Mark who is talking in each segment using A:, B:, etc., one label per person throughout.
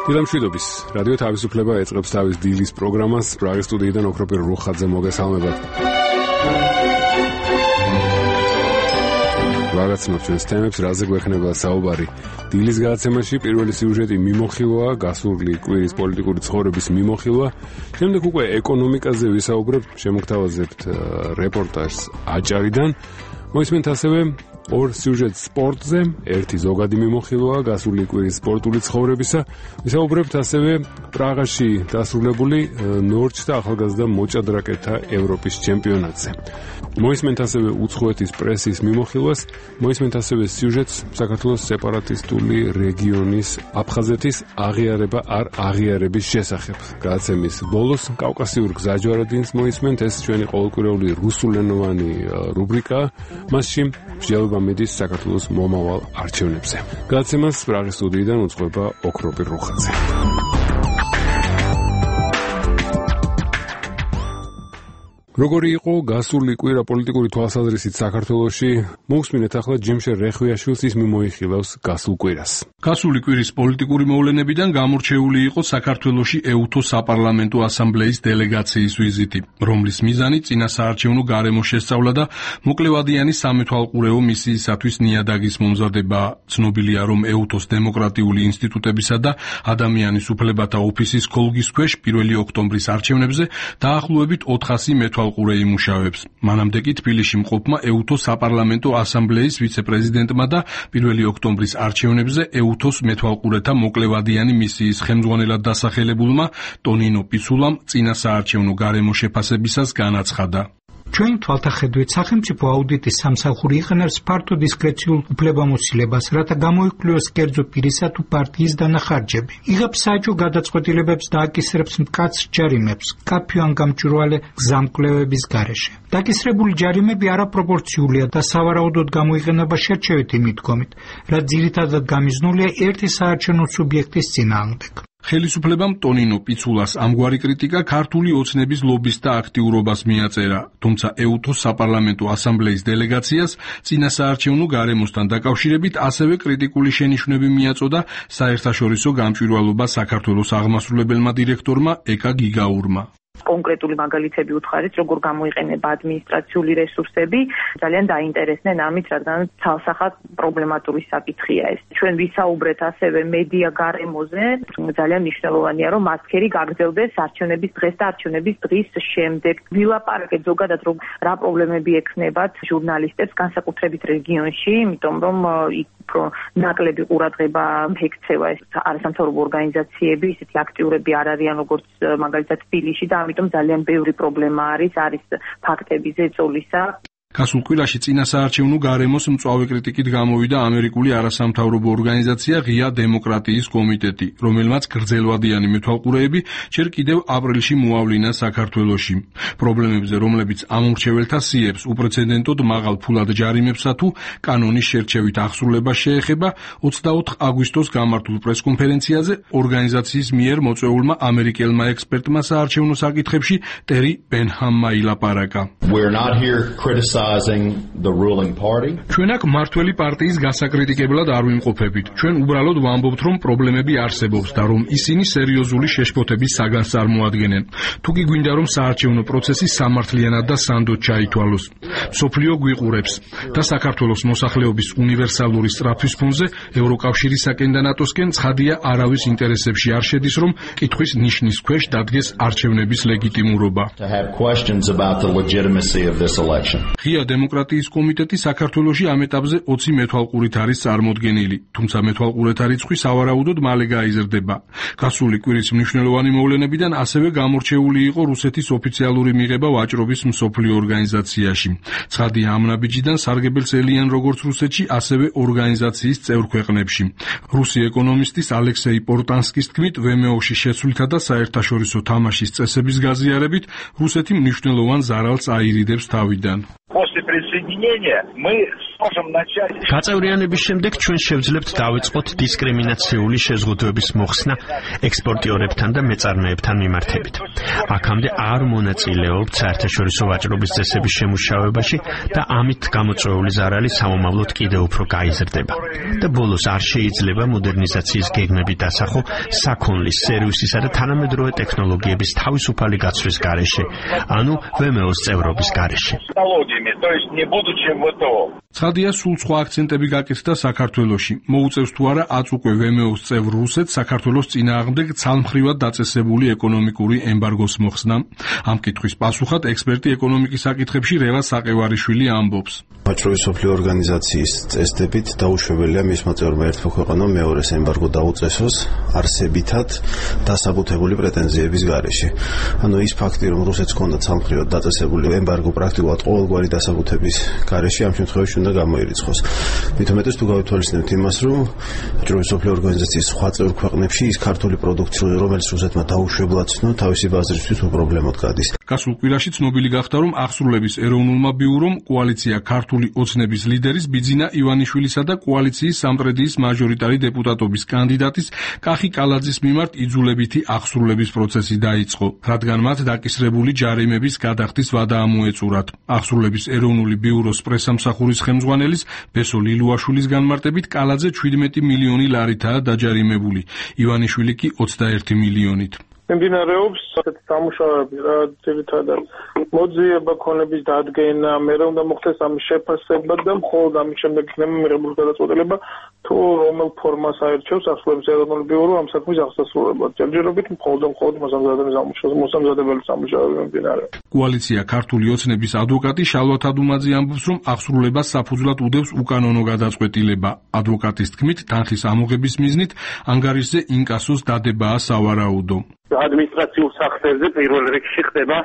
A: დილამშვიდობის რადიო თავისუფლება ეწყებს თავის დილის პროგრამას. პრაღის სტუდიიდან ოქროპირ რუხაძე მოგესალმებათ. ვაგაცნობთ ჩვენს თემებს, რაზე გვექნება საუბარი. დილის გადაცემაში პირველი სიუჟეტი მიმოხილვაა, გასული კვირის პოლიტიკური ცხოვრების მიმოხილვა. შემდეგ უკვე ეკონომიკაზე ვისაუბრებთ, შემოგთავაზებთ რეპორტაჟს აჭარიდან. მოისმენთ ასევე ორ სიუჟეტს სპორტზე, ერთი ზოგადი მიმოხილვაა გასული კვირის სპორტული ცხოვრებისა. ვისაუბრებთ ასევე პრაღაში დასრულებული ნორჩ და ახალგაზრდა მოჭადრაკეთა ევროპის ჩემპიონატზე. მოისმენთ ასევე უცხოეთის პრესის მიმოხილვას, მოისმენთ ასევე სიუჟეტს საქართველოს სეპარატისტული რეგიონის აფხაზეთის აღიარება არ აღიარების შესახებ. გადაცემის ბოლოს კავკასიურ გზაჯვარედინს მოისმენთ, ეს ჩვენი ყოველკვირეული რუსულენოვანი რუბრიკაა. მასში მსჯელობა მიდის საქართველოს მომავალ არჩევნებზე. გადაცემას პრაღის სტუდიიდან უძღვება ოქროპირ რუხაძე. როგორი იყო გასული კვირა პოლიტიკური თვალსაზრისით საქართველოში? მოვსმინეთ ახლა ჯიმშე რეხვიაშვილს, ის მიმოიხილავს გასულ კვირას.
B: გასული კვირის პოლიტიკური მოვლენებიდან გამორჩეული იყო საქართველოში ეუთო საპარლამენტო ასამბლეის დელეგაციის ვიზიტი, რომლის მიზანი წინასაარჩევნო გარემოს შესწავლა და მოკლევადიანი სამეთვალყურეო მისიისათვის ნიადაგის მომზადება. ცნობილია, რომ ეუთოს დემოკრატიული ინსტიტუტებისა და ადამიანის უფლებათა ოფისის ქოლგის ქვეშ 1 ოქტომბრის არჩევნებზე დაახლოებით 400 მეთვალყურე იმუშავებს. მანამდე კი თბილისში მყოფმა ეუთო საპარლამენტო ასამბლეის ვიცე-პრეზიდენტმა და 1 ოქტომბრის არჩევნებზე ეუთოს მეთვალყურეთა მოკლევადიანი მისიის ხელმძღვანელად დასახელებულმა ტონინო პიცულამ წინასაარჩევნო გარემოს შეფასებისას განაცხადა.
C: Ჩვენ თვალთახედვით სახელმწიფო აუდიტის სამსახური იყენებს ფართო დისკრეციულ უფლებამოსილებას, რათა გამოიკვლიოს კერძო პირისა თუ პარტიის დანახარჯები. იღებს საეჭვო გადაწყვეტილებებს და აკისრებს მკაცრ ჯარიმებს, კაფე ან გამჭვირვალე გზამკვლევების გარეშე. დაკისრებული ჯარიმები არაპროპორციულია და სავარაუდოდ გამოიყენება შერჩევითი მიდგომით, რაც ძირითადად გამიზნულია ერთი საარჩევნო სუბიექტის წინააღმდეგ.
B: ხელისუფლებამ ტონინო პიცულას ამგვარი კრიტიკა ქართული ოცნების ლობის და აქტიურობას მიაწერა, თუმცა ეუთოს საპარლამენტო ასამბლეის დელეგაციას წინასაარჩევნო გარემოსთან დაკავშირებით ასევე კრიტიკული შენიშვნები მიაწოდა საერთაშორისო გამჭვირვალობა საქართველოს აღმასრულებელმა დირექტორმა ეკა გიგაურმა.
D: კონკრეტული მაგალითები უთხარით, როგორ გამოიყენება ადმინისტრაციული რესურსები, ძალიან დაინტერესდნენ ამით, რადგან ცალსახად პრობლემატური საკითხია ეს. ჩვენ ვისაუბრეთ ასევე მედია გარემოზე, ძალიან მნიშვნელოვანია, რომ მასქერი გაგრძელდეს არჩევნების დღეს და არჩევნების დღის შემდეგ. ვილაპარაკეთ ზოგადად, რომ რა პრობლემები ექნებათ ჟურნალისტებს, განსაკუთრებით რეგიონში, იმიტომ რომ ნაკლები ყურადღება ექცევა ეს არასამთავრობო ორგანიზაციები, ისეთი აქტიურები არ არიან როგორც მაგალითად თბილისში და ამიტომ ძალიან ბევრი პრობლემა არის ფაქტების ეწოლისა.
B: გასულ კვირაში წინასაარჩევნო გარემოს მწვავე კრიტიკით გამოვიდა ამერიკული არასამთავრობო ორგანიზაცია ღია დემოკრატიის კომიტეტი, რომელმაც გრძელვადიანი მეთვალყურეები ჯერ კიდევ აპრილში მოავლინა საქართველოში. პრობლემებზე, რომლებიც ამომრჩეველთა სიებს, უპრეცედენტოდ მაღალ ფულად ჯარიმებსა თუ კანონის შერჩევით აღსრულებას შეეხება, 24 აგვისტოს გამართულ პრესკონფერენციაზე ორგანიზაციის მიერ მოწვეულმა ამერიკელმა ექსპერტმა საარჩევნო საკითხებში ტერი ბენჰამმა ილაპარაკა. ჩვენ აქ მმართველი პარტიის გასაკრიტიკებლად არ ვიმყოფებით. ჩვენ უბრალოდ ვამბობთ, რომ პრობლემები არსებობს და რომ ისინი სერიოზული შეშფოთების საგანს წარმოადგენენ. თუ კი გვინდა, რომ საარჩევნო პროცესი სამართლიანად და სანდოდ ჩაითვალოს. მსოფლიო გვიყურებს და საქართველოს მოსახლეობის უნივერსალური სწრაფვის ფონზე ევროკავშირისაკენ და ნატოსკენ ცხადია არავის ინტერესებში არ შედის, რომ კითხვის ნიშნის ქვეშ დადგეს არჩევნების ლეგიტიმურობა. ღია დემოკრატიის კომიტეტი საქართველოში ამ ეტაპზე 20 მეთვალყურით არის წარმოდგენილი, თუმცა მეთვალყურეთა რიცხვი სავარაუდოდ მალე გაიზრდება. გასული კვირის მნიშვნელოვანი მოვლენებიდან ასევე გამორჩეული იყო რუსეთის ოფიციალური მიღება ვაჭრობის მსოფლიო ორგანიზაციაში. ცხადია, ამ ნაბიჯიდან სარგებელს ელიან როგორც რუსეთში, ასევე ორგანიზაციის წევრ ქვეყნებში. რუსი ეკონომისტის ალექსეი პორტანსკის თქმით, ვმო-ში შეცვლითა და საერთაშორისო თამაშის წესების გაზიარებით, რუსეთი მნიშვნელოვან ზარალს აირიდებს თავიდან.
E: после присоединения мы сможем начать.
F: გაწევრიანების შემდეგ ჩვენ შევძლებთ დავიწყოთ დისკრიმინაციული შეზღუდვების მოხსნა ექსპორტიორებთან და მეწარმეებთან მიმართებით. აქამდე არ მონაწილეობთ საერთაშორისო ვაჭრობის წესების შემუშავებაში და ამით გამოწვეული ზარალი სამომავლოდ კიდევ უფრო გაიზრდება. და ბოლოს არ შეიძლება მოდერნიზაციის გეგმები დასახო საქონლის, სერვისისა და თანამედროვე ტექნოლოგიების თავისუფალი გაცვლის გარეშე, ანუ VMO-ს წევრობის გარეშე.
B: ცხადია, სულ სხვა აქცენტები გაკეთდა საქართველოში. მოუწევს თუ არა აწ უკვე VMO-ს წევრ რუსეთს საქართველოს წინააღმდეგ ცალმხრივად დაწესებული ეკონომიკური ემბარგოს მოხსნა. ამ კითხვის პასუხად ექსპერტი ეკონომიკის საკითხებში რევაზ საყევარიშვილი ამბობს.
G: ვაჭრობის მსოფლიო ორგანიზაციის წესდებით დაუშვებელია მისმა წევრმა ერთმა ქვეყანამ მეორეს ემბარგო დაუწესოს არსებითად დასაბუთებული პრეტენზიების გარეშე. ანუ ის ფაქტი, რომ რუსეთს ჰქონდა ცალმხრივად დაწესებული ემბარგო პრაქტიკულად ყოველგვარი დასაბუთების გარეშე, ამ შემთხვევაში უნდა გამოირიცხოს. მით უმეტეს თუ გავითვალისწინებთ იმას, რომ ვაჭრობის მსოფლიო ორგანიზაციის სხვა წევრ ქვეყნებში ის ქართული პროდუქცია, რომელიც რუსეთმა დაუშვებლად ცნო, თავისი ბაზრისთვის უპრობლემოდ გადის.
B: გასულ კვირაში ცნობილი გახდა, რომ აღსრულების ეროვნულმა ბიურომ კოალიცია ქართული ოცნების ლიდერის ბიძინა ივანიშვილისა და კოალიციის სამტრედიის მაჟორიტარი დეპუტატობის კანდიდატის კახი კალაძის მიმართ იძულებითი აღსრულების პროცესი დაიწყო, რადგან მათ დაკისრებული ჯარიმების გადახდის ვადა ამოეწურათ. აღსრულების ეროვნული ბიუროს პრესამსახურის ხელმძღვანელის ბესო ლილუაშვილის განმარტებით კალაძე 17 მილიონი ლარითაა დაჯარიმებული, ივანიშვილი კი 21 მილიონით.
H: მიმდინარეობს ასეთი სამუშაოები, რა ძირითადად მოძიება ქონების დადგენა, მერე უნდა მოხდეს ამის შეფასება და მხოლოდ ამის შემდეგ იქნება მიღებული გადაწყვეტილება, თუ რომელ ფორმას აერჩევს აღსრულების ეროვნული ბიურო ამ საქმის აღსასრულებლად. ჯერჯერობით მხოლოდ მოსამზადებელი სამუშაოები მიმდინარეობს.
B: კოალიცია ქართული ოცნების ადვოკატი შალვა თადუმაძე ამბობს, რომ აღსრულებას საფუძვლად უდევს უკანონო გადაწყვეტილება. ადვოკატის თქმით, თანხის ამოღების მიზნით ანგარიშზე ინკასოს დადებაა სავარაუდო.
I: ადმინისტრაციულ სახსრებზე პირველ რიგში ხდება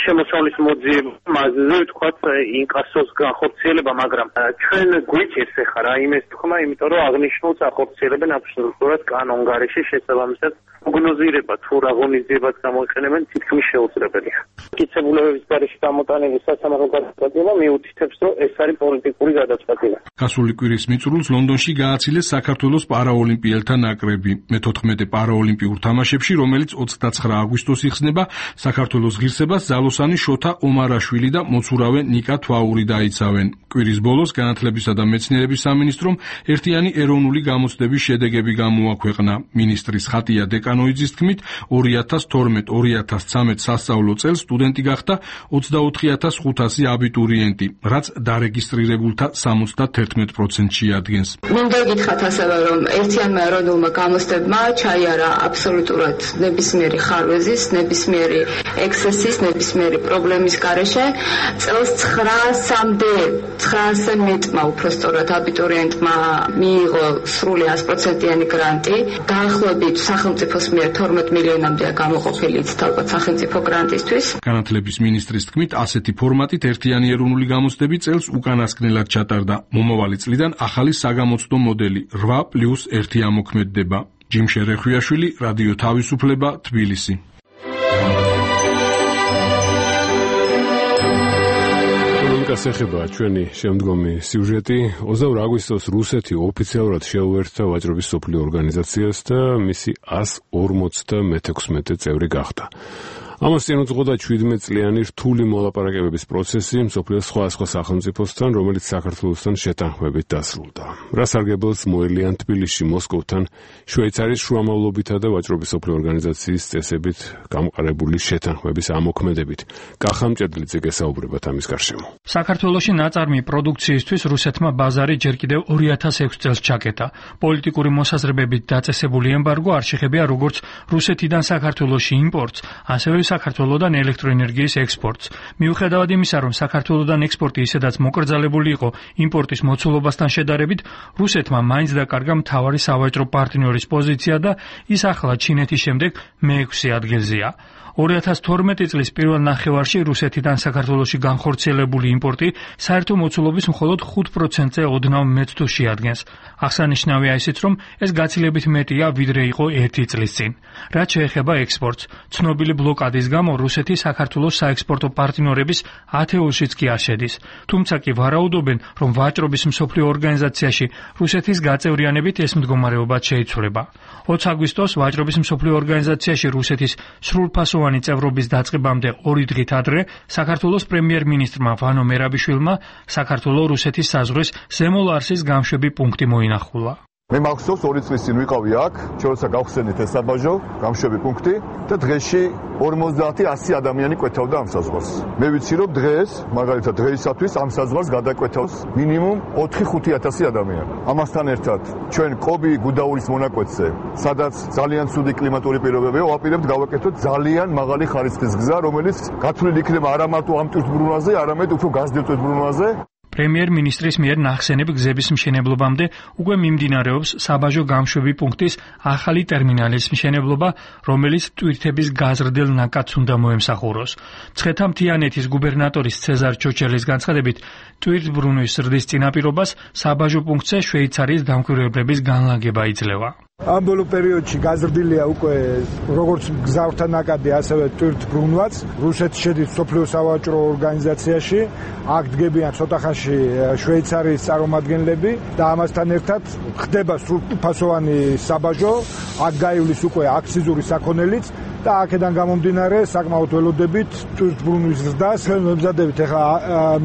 I: შემოსავლის მოძიება, მასზე ვთქვათ ინკასოს განხორციელება, მაგრამ ჩვენ გვიჭირს ახლა რა იმის თქმა, იმიტომ რომ აღნიშნულს ახორციელებენ აბსოლუტურად კანონგარეშე შესაბამისად პროგნოზირება თუ რა ღონისძიებაც გამოიყენებენ თითქმის შეუძლებელია. მტკიცებულებების გარეშე გამოტანილი სასამართლო გადაწყვეტილება მიუთითებს, რომ ეს არის პოლიტიკური გადაწყვეტილება.
B: გასული კვირის მიწურულს ლონდონში გააცილეს საქართველოს პარაოლიმპიელთა ნაკრები. მე-14 პარაოლიმპიურ თამაშებში, რომელიც 29 აგვისტოს იხსნება, საქართველოს ღირსებას ზალოსანი შოთა ომარაშვილი და მოცურავე ნიკა თვაური დაიცავენ. კვირის ბოლოს განათლებისა და მეცნიერების სამინისტრომ ერთიანი ეროვნული გამოცდების შედეგები გამოაქვეყნა. მინისტრის ხატია დეკანოიძის თქმით, 2012-2013 სასწავლო წელს სტუდენტი გახდა 24500 აბიტურიენტი, რაც დარეგისტრირებულთა 71%-ში ადგენს.
J: მინდა გითხრათ ასევე, რომ ერთიანმა ეროვნულმა გამოცდებმა ჩაიარა აბსოლუტურად ნებისმიერი ხარვეზის, ნებისმიერი ექსცესის, ნებისმიერი პრობლემის გარეშე. წელს 900-მა უпростоრად აბიტურიენტმა მიიღო სრული 100%-იანი გრანტი. დაახლოებით სახელმწიფოს მიერ 12 მილიონამდეა გამოყოფილი თალბათ სახელმწიფო გრანტისთვის.
B: განათლების მინისტრის თქმით, ასეთი ფორმატით ერთიანი ეროვნული გამოცდები წელს უკანასკნელად ჩატარდა. მომავალი წლიდან ახალი საგამოცდო მოდელი 8+1 ამოქმედდება. ჯიმშე რეხვიაშვილი, რადიო თავისუფლება, თბილისი.
A: ეკონომიკას ეხება ჩვენი შემდგომი სიუჟეტი. 22 აგვისტოს რუსეთი ოფიციალურად შეუერთდა ვაჭრობის მსოფლიო ორგანიზაციას და მისი 156 წევრი გახდა. ამას წინ უძღოდა 17 წლიანი რთული მოლაპარაკებების პროცესი მსოფლიოს სხვადასხვა სახელმწიფოსთან, რომელიც საქართველოსთან შეთანხმებით დასრულდა. რა სარგებლოს მოელიან თბილისში მოსკოვთან შვეიცარიის შუამავლობითა და ვაჭრობის მსოფლიო ორგანიზაციის წესებით გამოყარებული შეთანხმების ამოქმედებით. კახა მჭედლიძე გესაუბრებათ ამის გარშემო.
K: საქართველოში ნაწარმი პროდუქციისთვის რუსეთმა ბაზარი ჯერ კიდევ 2006 წელს ჩაკეტა. პოლიტიკური მოსაზრებებით დაწესებული ემბარგო არ შეხებია როგორც რუსეთიდან საქართველოში იმპორტს, ასევე საქართველოდან ელექტროენერგიის ექსპორტს. მიუხედავად იმისა, რომ საქართველოდან ექსპორტი ისედაც მოკრძალებული იყო იმპორტის მოცულობასთან შედარებით, რუსეთმა მაინც დაკარგა მთავარი სავაჭრო პარტნიორის პოზიცია და ის ახლა ჩინეთის შემდეგ მე-6 ადგილზეა. 2012 წლის პირველ ნახევარში რუსეთიდან საქართველოში განხორციელებული იმპორტი საერთო მოცულობის მხოლოდ 5%-ზე ოდნავ მეც თუ შეადგენს. აღსანიშნავია ისიც, რომ ეს გაცილებით მეტია, ვიდრე იყო 1 წლის წინ. რაც შეეხება ექსპორტს, ცნობილი ბლოკადი ბლოკადის გამო რუსეთი საქართველოს საექსპორტო პარტნიორების ათეულშიც კი არ შედის. თუმცა კი ვარაუდობენ, რომ ვაჭრობის მსოფლიო ორგანიზაციაში რუსეთის გაწევრიანებით ეს მდგომარეობა შეიცვლება. 20 აგვისტოს ვაჭრობის მსოფლიო ორგანიზაციაში რუსეთის სრულფასოვანი წევრობის დაწყებამდე 2 დღით ადრე საქართველოს პრემიერ-მინისტრმა ვანო მერაბიშვილმა საქართველოს-რუსეთის საზღვრის ზემო ლარსის გამშვები პუნქტი მოინახულა.
L: მე მახსოვს 2 წლის წინ ვიყავი აქ, როცა გავხსენით ეს საბაჟო, გამშვები პუნქტი და დღეში 50-100 ადამიანი კვეთავდა ამ საზღვარს. მე ვიცი რომ დღეს, მაგალითად დღეისათვის ამ საზღვარს გადაკვეთავს მინიმუმ 4-5 ადამიანი. ამასთან ერთად ჩვენ კობი გუდაურის მონაკვეთზე, სადაც ძალიან ცუდი კლიმატური პირობებია, ვაპირებთ გავაკეთოთ ძალიან მაღალი ხარისხის გზა, რომელიც გათვლილი იქნება არა მარტო ამ ტვირთბრუნვაზე, არამედ უფრო გაზრდილ ტვირთბრუნვაზე. პრემიერ-მინისტრის მიერ ნახსენებ გზების მშენებლობამდე უკვე მიმდინარეობს საბაჟო გამშვები პუნქტის ახალი ტერმინალის მშენებლობა, რომელიც ტვირთების გაზრდილ ნაკადს უნდა მოემსახუროს. მცხეთა-მთიანეთის გუბერნატორის ცეზარ ჩოჩელის განცხადებით, ტვირთბრუნვის ზრდის წინაპირობას საბაჟო პუნქტზე შვეიცარიის დამკვირვებლების განლაგება იძლევა.
M: ამ ბოლო პერიოდში გაზრდილია უკვე როგორც გზავრთა ნაკადი, ასევე ტვირთბრუნვაც. რუსეთი შედის მსოფლიო სავაჭრო ორგანიზაციაში, აქ დგებიან ცოტა ხანში შვეიცარიის წარმომადგენლები და ამასთან ერთად ხდება სრულფასოვანი საბაჟო, აქ გაივლის უკვე აქციზური საქონელიც და აქედან გამომდინარე საკმაოდ ველოდებით ტვირთბრუნვის ზრდას. ვემზადებით ახლა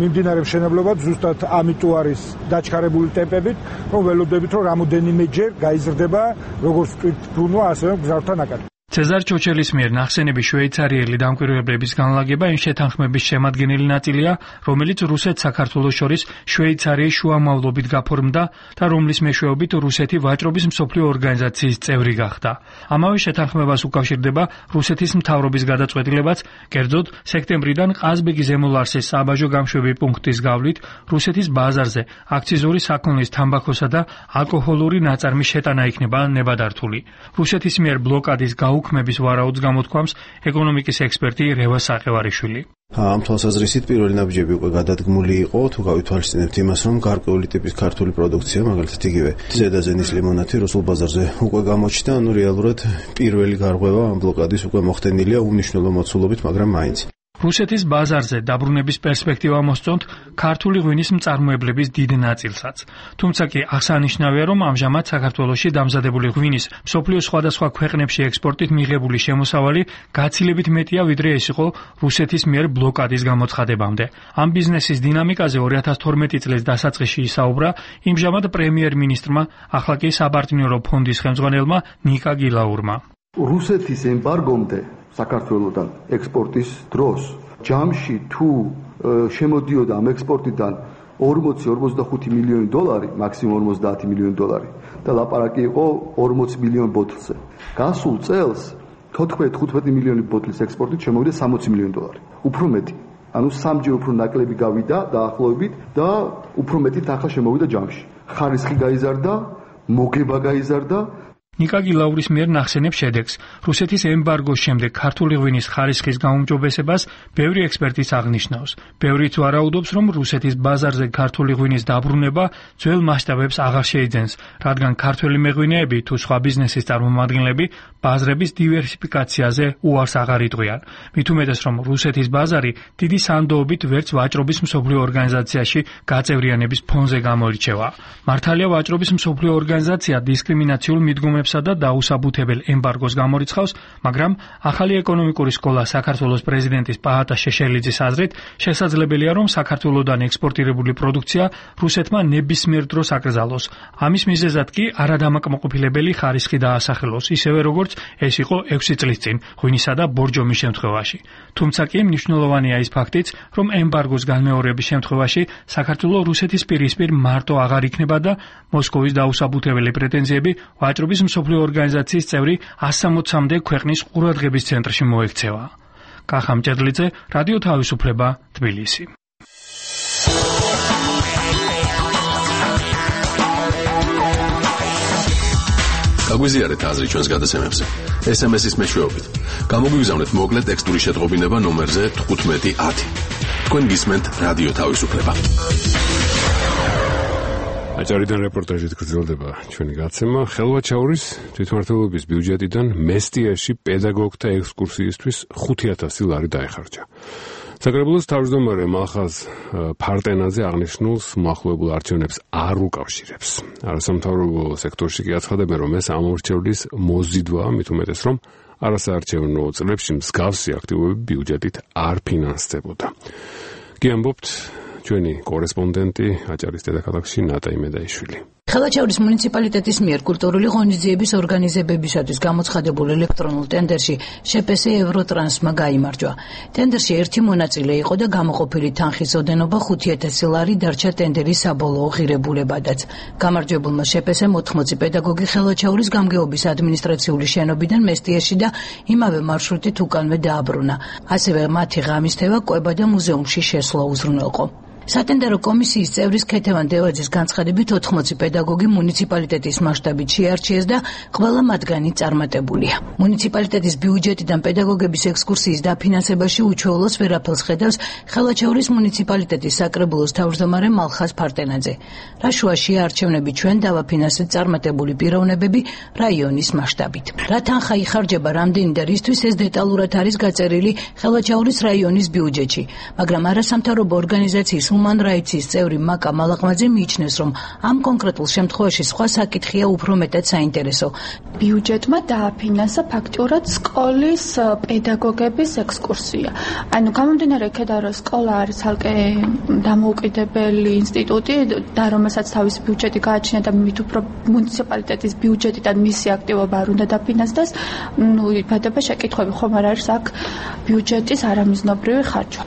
M: მიმდინარე მშენებლობა ზუსტად ამიტომ არის დაჩქარებული ტემპებით, რომ ველოდებით რომ რამოდენიმეჯერ გაიზრდება როგორც ტვირთბრუნვა, ასევე გზავრთა ნაკადი. ცეზარ ჩოჩელის მიერ ნახსენები შვეიცარიელი დამკვირვებლების განლაგება იმ შეთანხმების შემადგენელი ნაწილია, რომელიც რუსეთს საქართველოს შორის შვეიცარიის შუამავლობით გაფორმდა და რომლის მეშვეობით რუსეთი ვაჭრობის მსოფლიო ორგანიზაციის წევრი გახდა. ამავე შეთანხმებას უკავშირდება რუსეთის მთავრობის გადაწყვეტილებაც, კერძოდ სექტემბრიდან ყაზბეგი ზემო ლარსის საბაჟო გამშვები პუნქტის გავლით რუსეთის ბაზარზე აქციზური საქონლის, თამბაქოსა და ალკოჰოლური ნაწარმის შეტანა იქნება ნებადართული. რუსეთის მიერ ბლოკადის უქმების ვარაუდს გამოთქვამს ეკონომიკის ექსპერტი რევა საყევარიშვილი.
G: ამ თვალსაზრისით პირველი ნაბიჯები უკვე გადადგმული იყო, თუ გავითვალისწინებთ იმას, რომ გარკვეული ტიპის ქართული პროდუქცია, მაგალითად იგივე ზედაზენის ლიმონათი რუსულ ბაზარზე უკვე გამოჩნდა, ანუ რეალურად პირველი გარღვევა ამ ბლოკადის უკვე მოხდენილია უმნიშვნელო მოცულობით, მაგრამ მაინც. რუსეთის ბაზარზე დაბრუნების პერსპექტივა მოსწონთ ქართული ღვინის მწარმოებლების დიდ ნაწილსაც. თუმცა კი აღსანიშნავია, რომ ამჟამად საქართველოში დამზადებული ღვინის მსოფლიოს სხვადასხვა ქვეყნებში ექსპორტით მიღებული შემოსავალი გაცილებით მეტია, ვიდრე ეს იყო რუსეთის მიერ ბლოკადის გამოცხადებამდე. ამ ბიზნესის დინამიკაზე 2012 წლის დასაწყისში ისაუბრა იმჟამად პრემიერ-მინისტრმა, ახლა კი საპარტნიორო ფონდის ხელმძღვანელმა ნიკა გილაურმა.
N: რუსეთის ემბარგომდე საქართველოსთან ექსპორტის დროს ჯამში თუ შემოდიოდა ამ ექსპორტიდან 40-45 მილიონი დოლარი, მაქსიმუმ 50 მილიონი დოლარი და ლაპარაკი იყო 40 მილიონ ბოთლზე. გასულ წელს 14-15 მილიონი ბოთლის ექსპორტით შემოვიდა 60 მილიონი დოლარი. უფრო მეტი. ანუ სამჯერ უფრო ნაკლები გავიდა დაახლოებით და უფრო მეტით ახლა შემოვიდა ჯამში. ხარისხი გაიზარდა, მოგება გაიზარდა. ნიკა გილაურის მიერ ნახსენებ შედეგს. რუსეთის ემბარგოს შემდეგ ქართული ღვინის ხარისხის გაუმჯობესებას ბევრი ექსპერტიც აღნიშნავს. ბევრიც ვარაუდობს, რომ რუსეთის ბაზარზე ქართული ღვინის დაბრუნება ძველ მასშტაბებს აღარ შეიძენს, რადგან ქართველი მეღვინეები თუ სხვა ბიზნესის წარმომადგენლები ბაზრების დივერსიფიკაციაზე უარს აღარ იტყვიან. მით უმეტეს, რომ რუსეთის ბაზარი დიდი სანდოობით ვერც ვაჭრობის მსოფლიო ორგანიზაციაში გაწევრიანების ფონზე გამოირჩევა. მართალია ვაჭრობის მსოფლიო ორგანიზაცია დისკრიმინაციულ მიდგომებს და დაუსაბუთებელ ემბარგოს გამორიცხავს, მაგრამ ახალი ეკონომიკური სკოლა საქართველოს პრეზიდენტის პაატა შეშელიძის აზრით შესაძლებელია, რომ საქართველოსდან ექსპორტირებული პროდუქცია რუსეთმა ნებისმიერ დროს აკრძალოს. ამის მიზეზად კი არადამაკმაყოფილებელი ხარისხი დაასახელოს, ისევე როგორც ეს იყო 6 წლის წინ ღვინისა და ბორჯომის შემთხვევაში. თუმცა კი მნიშვნელოვანია ის ფაქტიც, რომ ემბარგოს განმეორების შემთხვევაში საქართველოს რუსეთის პირისპირ მარტო აღარ იქნება და მოსკოვის დაუსაბუთებელი პრეტენზიები ვაჭრობის მსოფლიო ორგანიზაციის წევრი 160-მდე ქვეყნის ყურადღების ცენტრში მოექცევა. კახა მჭედლიძე, რადიო თავისუფლება, თბილისი.
O: გაგვიზიარეთ აზრი ჩვენს გადაცემებზე. SMS-ის მეშვეობით. გამოგვიგზავნეთ მოკლე ტექსტური შეტყობინება ნომერზე 1510. თქვენ გისმენთ რადიო თავისუფლება.
A: აჭარიდან რეპორტაჟით გრძელდება ჩვენი გაცემა. ხელვაჩაურის თვითმმართველობის ბიუჯეტიდან მესტიაში პედაგოგთა ექსკურსიისთვის 5,000 ლარი დაეხარჯა. საკრებულოს თავმჯდომარე მალხაზ ფარტენაძე აღნიშნულს მოახლოებულ არჩევნებს არ უკავშირებს. არასამთავრობო სექტორში კი აცხადებენ, რომ ეს ამორჩევლის მოზიდვაა, მით უმეტეს, რომ არასაარჩევნო წლებში მსგავსი აქტივობები ბიუჯეტით არ ფინანსდებოდა. კი ამბობთ ჩვენი კორესპონდენტი აჭარის დედაქალაქში ნატა იმედაიშვილი.
P: ხელვაჩაურის მუნიციპალიტეტის მიერ კულტურული ღონისძიების ორგანიზებებისათვის გამოცხადებულ ელექტრონულ ტენდერში შეპეს ევროტრანსმა გაიმარჯვა. ტენდერში ერთი მონაწილე იყო და გამოყოფილი თანხის ოდენობა 5,000 ლარი დარჩა ტენდერის საბოლოო ღირებულებადაც. გამარჯვებულმა შეპესე 80 პედაგოგი ხელვაჩაურის გამგეობის ადმინისტრაციული შენობიდან მესტიაში და იმავე მარშრუტით უკანვე დააბრუნა. ასევე მათი ღამისთევა კვება და მუზეუმში შესვლა უზრუნველყო. სატენდერო კომისიის წევრის ქეთევან დევაძის განცხადებით 80 პედაგოგი მუნიციპალიტეტის მასშტაბით შეარჩიეს და ყველა მათგანი წარმატებულია. მუნიციპალიტეტის ბიუჯეტიდან პედაგოგების ექსკურსიის დაფინანსებაში უჩვეულოს ვერაფერს ხედავს ხელვაჩაურის მუნიციპალიტეტის საკრებულოს თავმჯდომარე მალხაზ ფარტენაძე. რაშუაში არჩევნები ჩვენ დავაფინანსეთ წარმატებული პიროვნებები რაიონის მასშტაბით. რა თანხა იხარჯება რამდენი და რისთვის ეს დეტალურად არის გაწერილი ხელვაჩაურის რაიონის ბიუჯეტში, მაგრამ არასამთავრობო ორგანიზაციის Human Rights-ის წევრი მაკა მალაღმაძე მიიჩნევს, რომ ამ კონკრეტულ შემთხვევაში სხვა საკითხია უფრო მეტად საინტერესო.
Q: ბიუჯეტმა დააფინანსა ფაქტურად სკოლის პედაგოგების ექსკურსია. ანუ გამომდინარე იქედან, რომ სკოლა არის ცალკე დამოუკიდებელი ინსტიტუტი და რომელსაც თავისი ბიუჯეტი გააჩნია და მით უფრო მუნიციპალიტეტის ბიუჯეტიდან მისი აქტივობა არ უნდა დაფინანსდეს, იბადება შეკითხვები, ხომ არ არის აქ ბიუჯეტის არამიზნობრივი ხარჯვა.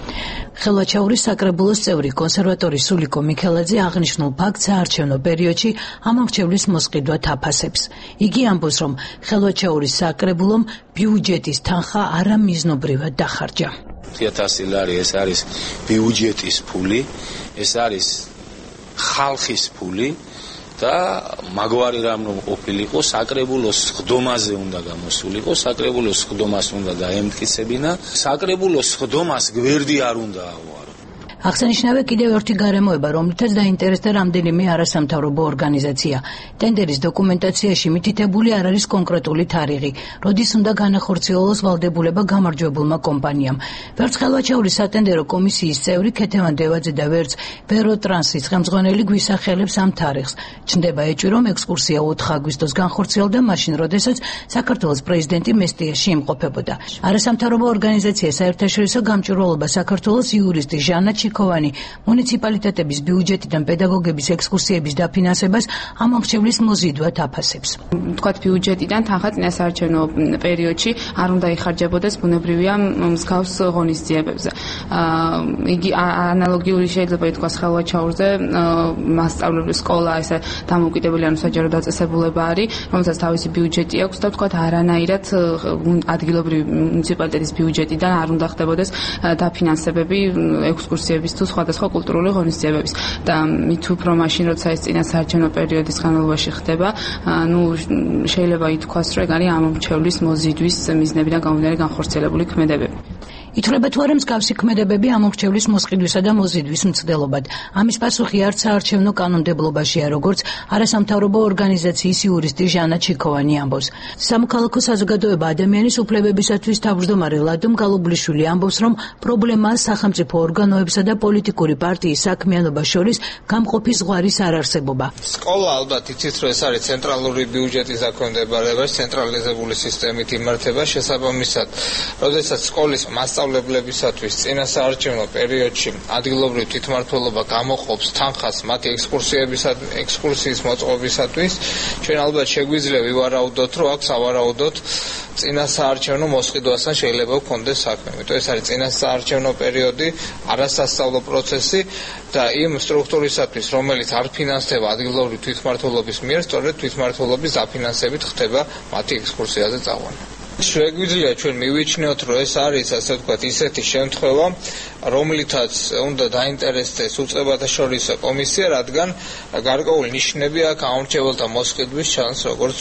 Q: ხელვაჩაურის საკრებულოს წევრი კონსერვატორი სულიკო მიქელაძე აღნიშნულ ფაქტს საარჩევნო პერიოდში ამორჩევლის მოსყიდვა თაფასებს. იგი ამბობს, რომ ხელვაჩაურის საკრებულომ ბიუჯეტის თანხა არამიზნობრივად დახარჯა.
R: 5,000 ლარი ეს არის ბიუჯეტის ფული, ეს არის ხალხის ფული და მაგვარი რამ რომ ყოფილიყო, საკრებულოს სხდომაზე უნდა გამოსულიყო, საკრებულოს სხდომას უნდა დაემტკიცებინა, საკრებულოს სხდომას გვერდი არ უნდა აუარო.
P: აღსანიშნავია კიდევ ერთი გარემოება, რომლითაც დაინტერესდა რამდენიმე არასამთავრობო ორგანიზაცია. ტენდერის დოკუმენტაციაში მითითებული არ არის კონკრეტული თარიღი, როდის უნდა განახორციელოს ვალდებულება გამარჯვებულმა კომპანიამ. ვერც ხელვაჩაურის სატენდერო კომისიის წევრი ქეთევან დევაძე და ვერც ვეროტრანსის ხელმძღვანელი გვისახელებს ამ თარიღს. ჩნდება ეჭვი, რომ ექსკურსია 4 აგვისტოს განხორციელდა მაშინ, როდესაც საქართველოს პრეზიდენტი მესტიაში იმყოფებოდა. არასამთავრობო ორგანიზაცია საერთაშორისო გამჭვირვალობა საქართველოს იურისტი ჟანა ჩიქოვანი მუნიციპალიტეტების ბიუჯეტიდან პედაგოგების ექსკურსიების დაფინანსებას ამორჩევლის მოზიდვად აფასებს.
S: თქვათ ბიუჯეტიდან თანხა წინასაარჩევნო პერიოდში არ უნდა იხარჯებოდეს ბუნებრივია მსგავს ღონისძიებებზე. იგი ანალოგიური შეიძლება ითქვას ხელვაჩაურზე მასწავლებელი სკოლა ესე დამოუკიდებელი ანუ საჯარო დაწესებულება არის, რომელსაც თავისი ბიუჯეტი აქვს და თქვათ არანაირად ადგილობრივი მუნიციპალიტეტის ბიუჯეტიდან არ უნდა ხდებოდეს დაფინანსებები ექსკურსიების თუ სხვადასხვა კულტურული ღონისძიებების და მით უფრო მაშინ როცა ეს წინასაარჩევნო პერიოდის განმავლობაში ხდება, შეიძლება ითქვას, რომ ეგ არის ამორჩევლის მოზიდვის მიზნებიდან გამომდინარე განხორციელებული ქმედებები.
P: ითვლება თუ არა მსგავსი ქმედებები ამორჩევლის მოსყიდვისა და მოზიდვის მცდელობად. ამის პასუხი არც საარჩევნო კანონმდებლობაშია, როგორც არასამთავრობო ორგანიზაციის იურისტი ჟანა ჩიქოვანი ამბობს. სამოქალაქო საზოგადოება ადამიანის უფლებებისათვის თავმჯდომარე ლადო მგალობლიშვილი ამბობს, რომ პრობლემაა სახელმწიფო ორგანოებსა და პოლიტიკური პარტიის საქმიანობას შორის გამყოფი ზღვარის არარსებობა.
T: სკოლა ალბათ იცით, რომ ეს არის ცენტრალური ბიუჯეტის დაქვემდებარება, ცენტრალიზებული სისტემით იმართება შესაბამისად. როდესაც სკოლის მასწავლებლებისათვის წინასაარჩევნო პერიოდში ადგილობრივი თვითმმართველობა გამოყოფს თანხას მათი ექსკურსიის მოწყობისათვის, ჩვენ ალბათ შეგვიძლია ვივარაუდოთ, რომ აქ სავარაუდოდ წინასაარჩევნო მოსყიდვასთან შეიძლება გქონდეს საქმე. იმიტომ ეს არის წინასაარჩევნო პერიოდი, არასასწავლო პროცესი და იმ სტრუქტურისათვის, რომელიც არ ფინანსდება ადგილობრივი თვითმმართველობის მიერ, სწორედ თვითმმართველობის დაფინანსებით ხდება მათი ექსკურსიაზე წაყვანა. შეგვიძლია ჩვენ მივიჩნიოთ, რომ ეს არის ასე ვთქვათ ისეთი შემთხვევა, რომლითაც უნდა დაინტერესდეს უწყებათა შორისო კომისია, რადგან გარკვეული ნიშნები აქვს ამორჩეველთა მოსყიდვის ჩანს, როგორც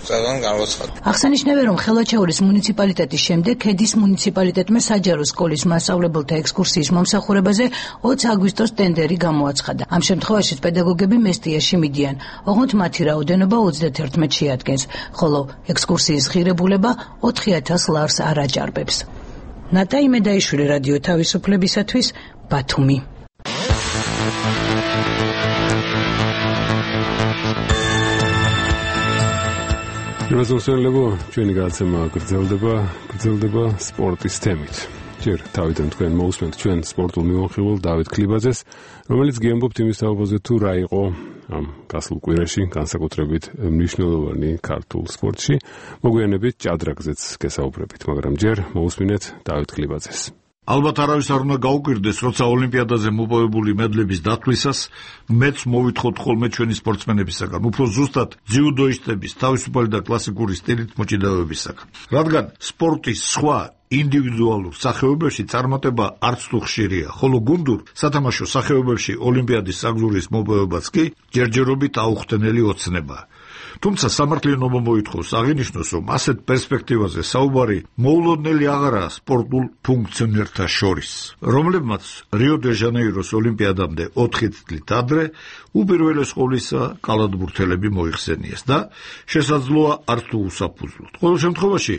T: წელან განვაცხადა.
P: აღსანიშნავია, რომ ხელვაჩაურის მუნიციპალიტეტის შემდეგ ქედის მუნიციპალიტეტმა საჯარო სკოლის მასწავლებელთა ექსკურსიის მომსახურებაზე 20 აგვისტოს ტენდერი გამოაცხადა. ამ შემთხვევაში პედაგოგები მესტიაში მიდიან, ოღონდ მათი რაოდენობა 31 შეადგენს, ხოლო ექსკურსიის ღირებულება 4000 ლარს არ აჭარბებს. ნატა იმედაიშვილი, რადიო თავისუფლებისათვის, ბათუმი.
A: იმასწორებო, ჩვენი გადაცემა გრძელდება სპორტის თემით. ჯერ თავიდან თქვენ მოусმენთ ჩვენ სპორტულ მიმოხილველ დავით ქლიბაძეს, რომელიც გიამბობთ იმის თაობაზე თუ რა იყო ამ გასულ კვირაში განსაკუთრებით მნიშვნელოვანი ქართულ სპორტში. მოგვიანებით ჭადრაგზეც გესაუბრებით, მაგრამ ჯერ მოусმინეთ დავით ქლიბაძეს.
U: ალბათ არავის არ უნდა გაუკვირდეს, როცა ოლიმპიადაზე მოპოვებული მედლების დათვლისას მეც მოვითხოვთ ხოლმე ჩვენი სპორტსმენებისაგან, უფრო ზუსტად ძიუდოისტების თავისუფალი და კლასიკური სტილით მოჭიდავებისაგან. რადგან სპორტის სხვა ინდივიდუალურ სახეობებში წარმატება არც თუ ხშირია, ხოლო გუნდურ სათამაშო სახეობებში ოლიმპიადის საგზურის მოპოვებაც კი ჯერჯერობით აუხსნელი ოცნებაა. თუმცა სამართლიანობა მოითხოვს აღინიშნოს, რომ ასეთ პერსპექტივაზე საუბარი მოულოდნელი აღარაა სპორტულ ფუნქციონერთა შორის, რომლებმაც რიო-დე-ჟანეიროს ოლიმპიადამდე 4 წლით ადრე უპირველეს ყოვლისა კალათბურთელები მოიხსენიეს და შესაძლოა არც თუ უსაფუძვლოდ. ყოველ შემთხვევაში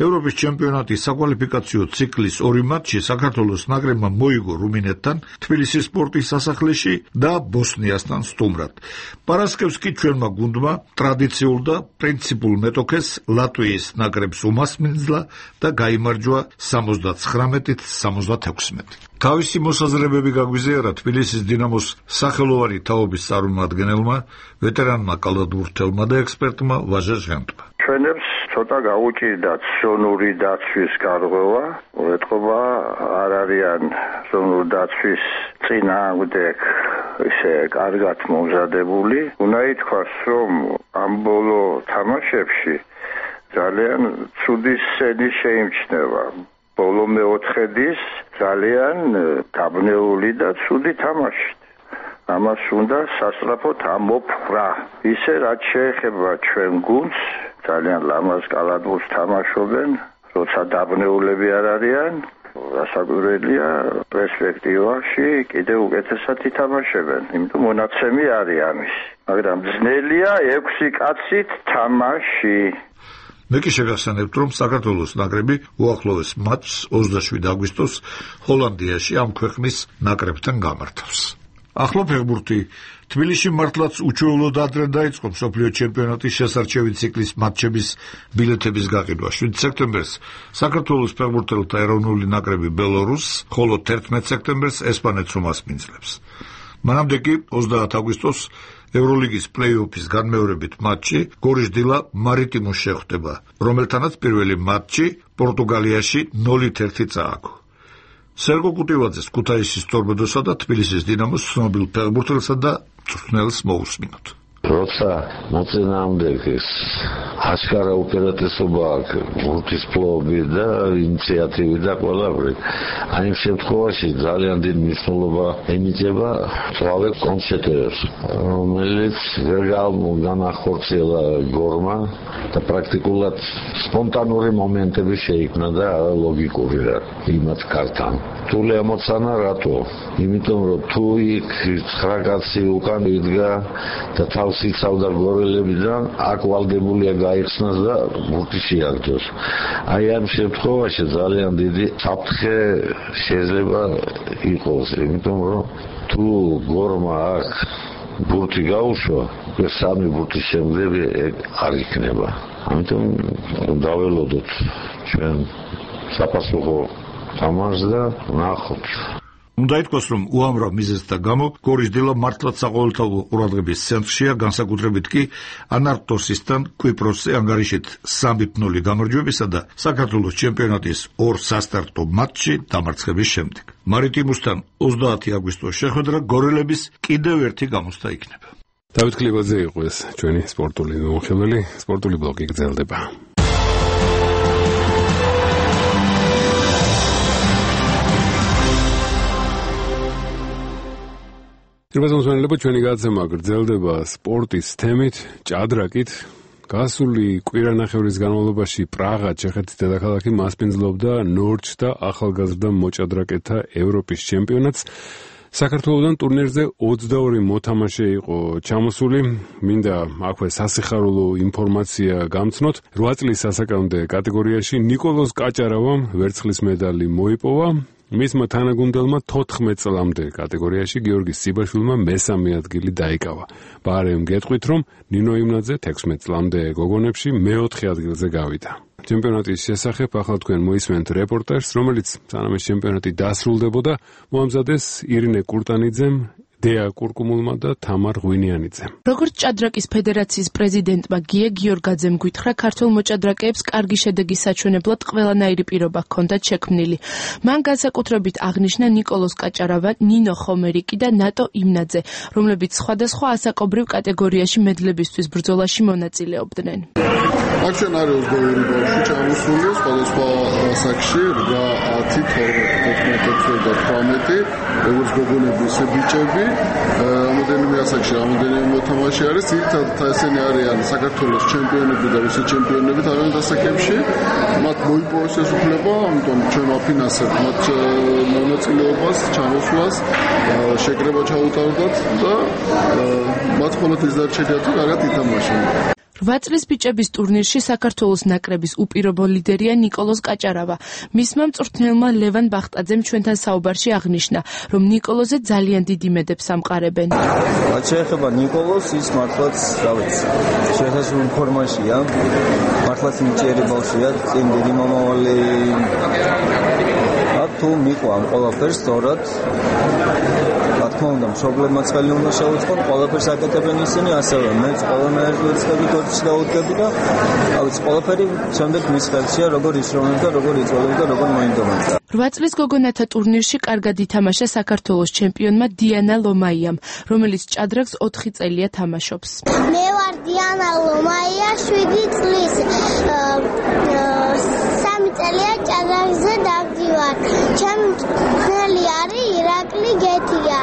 U: ევროპის ჩემპიონატის საკვალიფიკაციო ციკლის 2 მატჩი საქართველოს ნაკრებმა მოიგო რუმინეთთან, თბილისის სპორტის სასახლეში და ბოსნიასთან სტუმრად. პარასკევს კი ჩვენმა გუნდმა ტრადიციულ და პრინციპულ მეტოქეს ლატვიის ნაკრებს უმასპინძლა და გაიმარჯვა 79-76. თავისი მოსაზრებები გაგვიზიარა თბილისის დინამოს სახელოვანი თაობის წარმომადგენელმა, ვეტერანმა კალათბურთელმა და ექსპერტმა ვაჟა ჟანტმა.
E: ჩვენებს ცოტა გაუჭირდათ ზონური დაცვის გარღვევა, ეთყობა არ არიან ზონური დაცვის წინააღმდეგ ისე კარგად მომზადებული. უნდა ითქვას, რომ ამ ბოლო თამაშებში ძალიან ცუდი სცენი შეიმჩნევა. ბოლო მეოთხედის ძალიან დაბნეული და ცუდი თამაშით. ამას უნდა სასწრაფოდ ამოფხრა. ისე რაც შეეხება ჩვენ გუნდს, ძალიან ლამაზ კალათბურთს თამაშობენ, როცა დაბნეულები არ არიან, გასაკვირველია პერსპექტივაში კიდევ უკეთესად ითამაშებენ, იმიტომ მონაცემი არის ამის. მაგრამ ძნელია 6 კაცით თამაში.
U: მე კი შეგახსენებთ, რომ საქართველოს ნაკრები უახლოეს მატჩს 27 აგვისტოს ჰოლანდიაში ამ ქვეყნის ნაკრებთან გამართავს. ახლა ფეხბურთი თბილისში მართლაც უჩვეულოდ ადრე დაიწყო მსოფლიო ჩემპიონატის შესარჩევი ციკლის მატჩების ბილეთების გაყიდვა. 7 სექტემბერს საქართველოს ფეხბურთელთა ეროვნული ნაკრები ბელორუსს, ხოლო 11 სექტემბერს ესპანეთს უმასპინძლებს. მანამდე კი 30 აგვისტოს ევროლიგის პლეი-ოფის განმეორებით მატჩი გორიშ-დილა მარიტიმოს შეხვდება, რომელთანაც პირველი მატჩი პორტუგალიაში 0-1 წააგო. სერგო კუტივაძეს ქუთაისის ტორპედოსა და თბილისის დინამოს ცნობილ ფეხბურთელსა და მწვრთნელს მოусმინოთ.
V: როცა მოწინააღმდეგეს აშკარა უპირატესობა აქვს გუნდის ფლობი და ინიციატივი და ყველაფერი. აი ამ შემთხვევაში ძალიან დიდი მნიშვნელობა ენიჭება თვალე კონცერტებს, რომელიც ვერ განახორციელა გორმა და პრაქტიკულად სპონტანური მომენტები შეიქმნა და ლოგიკური რა იმათ კართან. თული ემოციანა რატო? იმიტომ რომ თუ იქ 9 კაცი უკან იდგა და თავს იცავდა გორელებიდან, აქ ვალდებულია გაიხსნას და ბურთი შეაგდოს. აი ამ შემთხვევაში ძალიან დიდი საფრთხე შეიძლება იყოს, იმიტომ რომ თუ გორმა აქ ბურთი გაუშვა, სამი ბურთის შემდეგ არ იქნება. ამიტომ დაველოდოთ ჩვენ საპასუხო თამაშს და ნახოთ.
U: უნდა ითქვას, რომ უამრავ მიზეზთა გამო გორიშ-დილა მართლაც საყოველთაო ყურადღების ცენტრშია, განსაკუთრებით კი ანარტოსისთან კვიპროსზე ანგარიშით 3-0 გამარჯვებისა და საქართველოს ჩემპიონატის 2 სასტარტო მატჩში დამარცხების შემდეგ. მარიტიმოსთან 30 აგვისტოს შეხვედრა გორელების კიდევ ერთი გამოსთა იქნება.
A: დავით ქლიბაძე იყო ეს ჩვენი სპორტული მიმოხილველი, სპორტული ბლოკი გრძელდება. Ირბაზონსმენელებო, ჩვენი გადაცემა გრძელდება სპორტის თემით, ჭადრაკით. გასული კვირანახევრის განმავლობაში პრაღა, ჩეხეთის დედაქალაქი, მასპინძლობდა ნორჩთა ახალგაზრდა მოჭადრაკეთა ევროპის ჩემპიონატს. საქართველოსთან ტურნირზე 22 მოთამაშე იყო ჩამოსული. მინდა აქვე სასიხარულო ინფორმაცია გამცნოთ. 8 წლის ასაკამდე კატეგორიაში ნიკოლოზ კაჭარავამ ვერცხლის მედალი მოიპოვა. მისმა თანაგუნდელმა 14 წლამდე კატეგორიაში გიორგი სიბაშვილმა მესამე ადგილი დაიკავა. ბარემ გეტყვით, რომ ნინო იმნაძე 16 წლამდე გოგონებში მეოთხე ადგილზე გავიდა. ჩემპიონატის შესახებ ახლა თქვენ მოისმენთ რეპორტაჟს, რომელიც სანამ ეს ჩემპიონატი დასრულდებოდა, მოამზადეს ირინე კურტანიძემ, დეა კურკუმულმა და თამარ ღვინიანიძემ.
C: როგორც ჭადრაკის ფედერაციის პრეზიდენტმა გია გიორგაძემ გითხრა, ქართულ მოჭადრაკეებს კარგი შედეგის საჩვენებლად ყველანაირი პირობა ჰქონდათ შექმნილი. მან განსაკუთრებით აღნიშნა ნიკოლოზ კაჭარავა, ნინო ხომერიკი და ნატო იმნაძე, რომლებიც სხვადასხვა ასაკობრივ კატეგორიაში მედლებისთვის ბრძოლაში მონაწილეობდნენ.
D: აქ ჩვენ არის 22 ბავშვი ჩამოსული, სხვადასხვა ასაკში, რა 10, 12, 14 და 18, როგორც გოგონები, ისე ბიჭები. რამოდენიმე ასაკში, რამოდენიმე მოთამაშე არის, ძირითადად ესენი არიან საქართველოს ჩემპიონები და რუსეთის ჩემპიონები თავიანთ ასაკებში. მათ მოიპოვეს ეს უფლება, ამიტომ ჩვენ ვაფინანსებთ მათ მონაწილეობას, ჩამოსვლას, შეკრება ჩაუტარდათ და მათ მხოლოდ ის დარჩენიათ, რომ კარგად ითამაშონ.
C: 8 წლის ბიჭების ტურნირში საქართველოს ნაკრების უპირობო ლიდერია ნიკოლოზ კაჭარავა. მისმა მწვრთნელმა ლევან ბახტაძემ ჩვენთან საუბარში აღნიშნა, რომ ნიკოლოზე ძალიან დიდი მედებს ამყარებენ.
W: რაც შეეხება ნიკოლოზს, ის მართლაც, რა ვიცი, შესაძლოა ფორმაშია, მართლაც მჭიერი ბავშვია, წინ დიდი მომავალი. თუ მიყვა ამ ყველაფერს სწორად, რა თქმა უნდა, მშობლებმაც ხელი უნდა შეუწყონ, ყველაფერს აკეთებენ ისინი, ასევე მეც ყველანაირ ვერცხლები თორჩში დავუდგები და ავიც ყველაფერი შემდეგ მის ხელშია, როგორ ისროლებ და როგორ იწოლებ და როგორ მოინდომებს.
C: 8 წლის გოგონათა ტურნირში კარგად ითამაშა საქართველოს ჩემპიონმა დიანა ლომაიამ, რომელიც ჭადრაკს 4 წელია თამაშობს.
X: მე ვარ დიანა ლომაია, 7 წლის. 3 წელია ჭადრაკზე დავდივარ. ჩემი მწვრთნელი არის ირაკლი გეთია.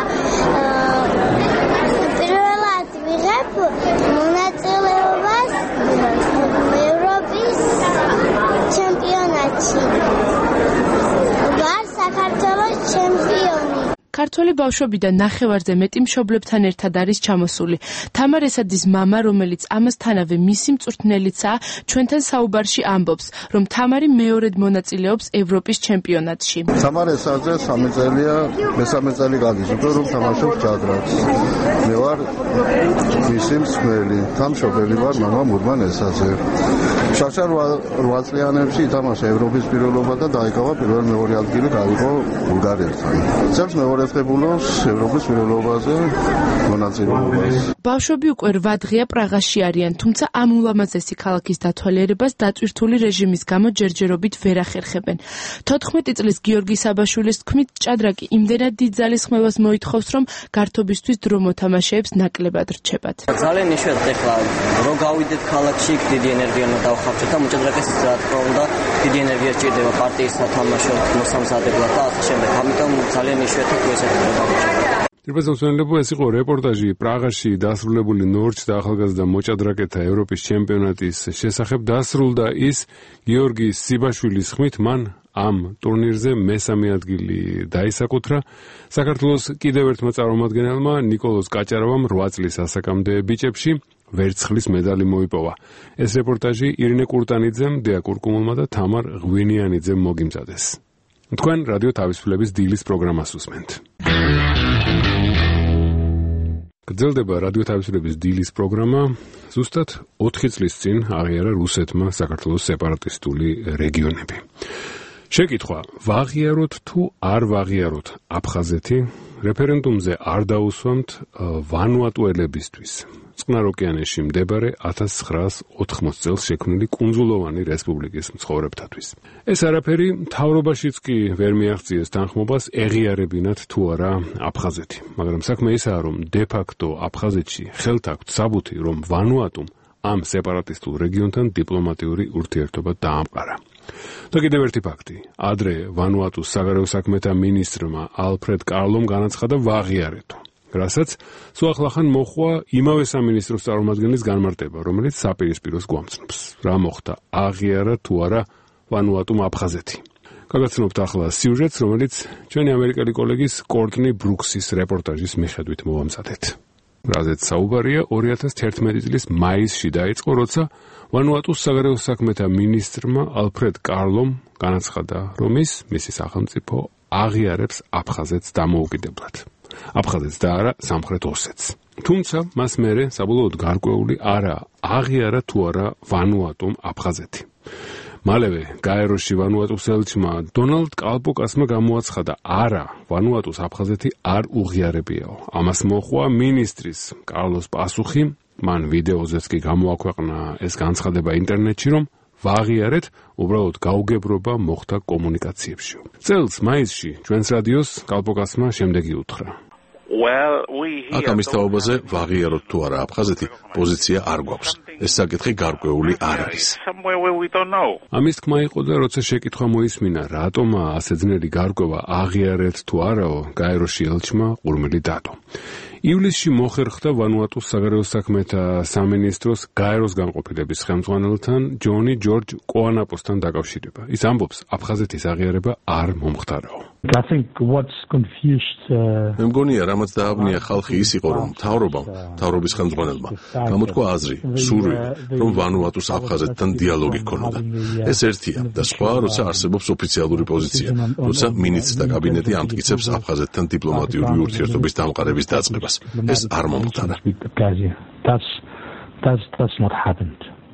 X: პირველად ვიღებ მონაწილეობას ევროპის ჩემპიონატში. ვარ საქართველოს ჩემპიონი.
C: ქართველი ბავშვებიდან ნახევარზე მეტი მშობლებთან ერთად არის ჩამოსული. თამარ ესაძის მამა, რომელიც ამასთანავე მისი მწვრთნელიცაა, ჩვენთან საუბარში ამბობს, რომ თამარი მეორედ მონაწილეობს ევროპის ჩემპიონატში.
D: თამარ ესაძე 3 წელია, მესამე წელი გაგიზრდა, რომ თამაშობს ჭადრაკს. მე ვარ მისი მსმელი, თამშობელი ვარ მამა მურმან ესაძე. შავშან 8 წლიანებში ითამაშა ევროპის პირველობა და დაიკავა პირველ-მეორე ადგილი გაიგო ბულგარეთთან. წელს მეორე ევროპის პირველობაზე მონაწილეობას.
C: ბავშვები უკვე 8 დღეა პრაღაში არიან, თუმცა ამ ულამაზესი ქალაქის დათვალიერებას დაწვირთული რეჟიმის გამო ჯერჯერობით ვერ ახერხებენ. 14 წლის გიორგი საბაშვილის თქმით, ჭადრაკი იმდენად დიდ ძალისხმევას მოითხოვს, რომ გართობისთვის დრო მოთამაშეებს ნაკლებად რჩებათ.
Y: ძალიან იშვიათად ეხლა რო გავიდეთ ქალაქში, დიდი ენერგია უნდა დავხარჯოთ და მოჭადრაკეს რა თქმა უნდა დიდი ენერგია სჭირდება პარტიის სათამაშო მოსამზადებლად და ასე შემდეგ. ამიტომ ძალიან იშვიათად
A: ირბაზონსმენელებო, ეს იყო რეპორტაჟი პრაღაში დასრულებული ნორჩთა ახალგაზრდა მოჭადრაკეთა ევროპის ჩემპიონატის შესახებ. დასრულდა ის გიორგი სიბაშვილის ხმით, მან ამ ტურნირზე მესამე ადგილი დაისაკუთრა. საქართველოს კიდევ ერთმა წარმომადგენელმა ნიკოლოზ კაჭარავამ 8 წლის ასაკამდე ბიჭებში ვერცხლის მედალი მოიპოვა. ეს რეპორტაჟი ირინე კურტანიძემ, დეა კურკუმულმა და თამარ ღვინიანიძემ მოგიმზადეს. თქვენ რადიო თავისუფლების დილის პროგრამას უსმენთ. გრძელდება რადიო თავისუფლების დილის პროგრამა. ზუსტად 4 წლის წინ აღიარა რუსეთმა საქართველოს სეპარატისტული რეგიონები. შეკითხვა: ვაღიაროთ თუ არ ვაღიაროთ აფხაზეთი? რეფერენდუმზე არ დაუსვამთ ვანუატუელებისთვის. წყნარ ოკეანეში მდებარე 1980 წელს შექმნილი კუნძულოვანი რესპუბლიკის მცხოვრებთათვის. ეს არაფერი მთავრობაშიც კი ვერ მიაღწიეს თანხმობას ეღიარებინათ თუ არა აფხაზეთი. მაგრამ საქმე ისაა, რომ დე-ფაქტო აფხაზეთში ხელთ აქვთ საბუთი, რომ ვანუატუმ ამ სეპარატისტულ რეგიონთან დიპლომატიური ურთიერთობა დაამყარა. და კიდევ ერთი ფაქტი. ადრე ვანუატუს საგარეო საქმეთა მინისტრმა ალფრედ კარლომ განაცხადა ვაღიარეთო. რასაც სულ ახლახან მოხვა იმავე სამინისტროს წარმომადგენლის განმარტება, რომელიც საპირისპიროს გვამცნობს. რა მოხდა, აღიარა თუ არა ვანუატუმ აფხაზეთი. გაგაცნობთ ახლა სიუჟეტს, რომელიც ჩვენი ამერიკელი კოლეგის კორტნი ბრუქსის რეპორტაჟის მიხედვით მოვამზადეთ. რაზეც საუბარია 2011 წლის მაისში დაიწყო, როცა ვანუატუს საგარეო საქმეთა მინისტრმა ალფრედ კარლომ განაცხადა, რომ მისი სახელმწიფო აღიარებს აფხაზეთს დამოუკიდებლად. აფხაზეთს და არა სამხრეთ ოსეთს. თუმცა მას მერე საბოლოოდ გარკვეული არა აღიარა თუ არა ვანუატუმ აფხაზეთი. მალევე გაეროში ვანუატუს ელჩმა დონალდ კალპოკასმა გამოაცხადა, არა, ვანუატუს აფხაზეთი არ უღიარებიაო. ამას მოჰყვა მინისტრის კარლოს პასუხი, მან ვიდეოზეც კი გამოაქვეყნა ეს განცხადება ინტერნეტში, რომ ვაღიარეთ, უბრალოდ გაუგებრობა მოხდა კომუნიკაციებში. წელს მაისში ჩვენს რადიოს კალპოკასმა შემდეგი უთხრა.
O: აქ ამის თაობაზე ვაღიაროთ თუ არა აფხაზეთი პოზიცია არ გვაქვს. ეს საკითხი გარკვეული არ არის.
A: ამის თქმა იყო და როცა შეკითხვა მოისმინა, რატომა ასე ძნელი გარკვევა აღიარეთ თუ არაო, გაეროში ელჩმა ყურმილი დადო. ივლისში მოხერხდა ვანუატუს საგარეო საქმეთა სამინისტროს გაეროს განყოფილების ხელმძღვანელთან ჯონი ჯორჯ კოანაპოსთან დაკავშირება. ის ამბობს, აფხაზეთის აღიარება არ მომხდარაო.
O: მე მგონია, რამაც დააბნია ხალხი ის იყო, რომ მთავრობის ხელმძღვანელმა გამოთქვა აზრი, სურვილი, რომ ვანუატუს აფხაზეთთან დიალოგი ჰქონოდა. ეს ერთია და სხვა, როცა არსებობს ოფიციალური პოზიცია, როცა მინისტრთა კაბინეტი ამტკიცებს აფხაზეთთან დიპლომატიური ურთიერთობის დამყარების დაწყებას. ეს არ მომხდარა.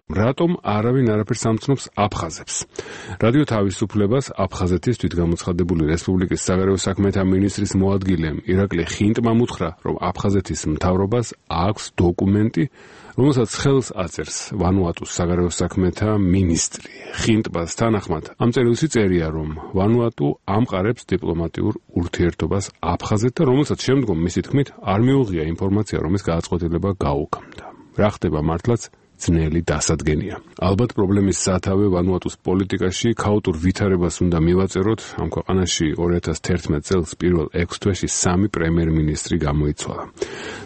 O: რატომ არავინ არაფერს ამცნობს აფხაზებს? რადიო თავისუფლებას აფხაზეთის თვითგამოცხადებული რესპუბლიკის საგარეო საქმეთა მინისტრის მოადგილემ ირაკლი ხინტმა უთხრა, რომ აფხაზეთის მთავრობას აქვს დოკუმენტი, რომელსაც ხელს აწერს ვანუატუს საგარეო საქმეთა მინისტრი. ხინტბას თანახმად ამ წერილში წერია, რომ ვანუატუ ამყარებს დიპლომატიურ ურთიერთობას აფხაზეთთან, რომელსაც შემდგომ მისი თქმით არ მიუღია ინფორმაცია, რომ ეს გადაწყვეტილება გაუქმდა. რა ხდება მართლაც? ძნელი დასადგენია. ალბათ პრობლემის სათავე ვანუატუს პოლიტიკაში ქაოტურ ვითარებას უნდა მივაწეროთ. ამ ქვეყანაში 2011 წელს პირველ 6 თვეში 3 პრემიერ-მინისტრი გამოიცვალა.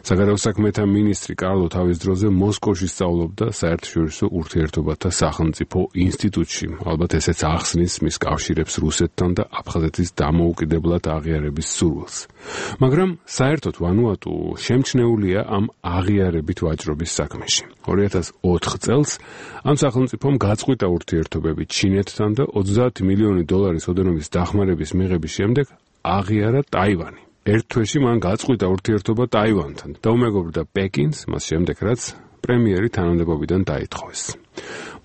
O: საგარეო საქმეთა მინისტრი კარლო თავის დროზე მოსკოვში სწავლობდა საერთაშორისო ურთიერთობათა სახელმწიფო ინსტიტუტში. ალბათ ესეც ახსნის მის კავშირებს რუსეთთან და აფხაზეთის დამოუკიდებლად აღიარების სურვილს. მაგრამ საერთოდ ვანუატუ შემჩნეულია ამ აღიარებით ვაჭრობის საქმეში. 2004 წელს ამ სახელმწიფომ გაწყვიტა ურთიერთობები ჩინეთთან და 30 მილიონი დოლარის ოდენობის დახმარების მიღების შემდეგ აღიარა ტაივანი. ერთ თვეში მან გაწყვიტა ურთიერთობა ტაივანთან და უმეგობრდა პეკინს, მას შემდეგ რაც პრემიერი თანამდებობიდან დაითხოვეს.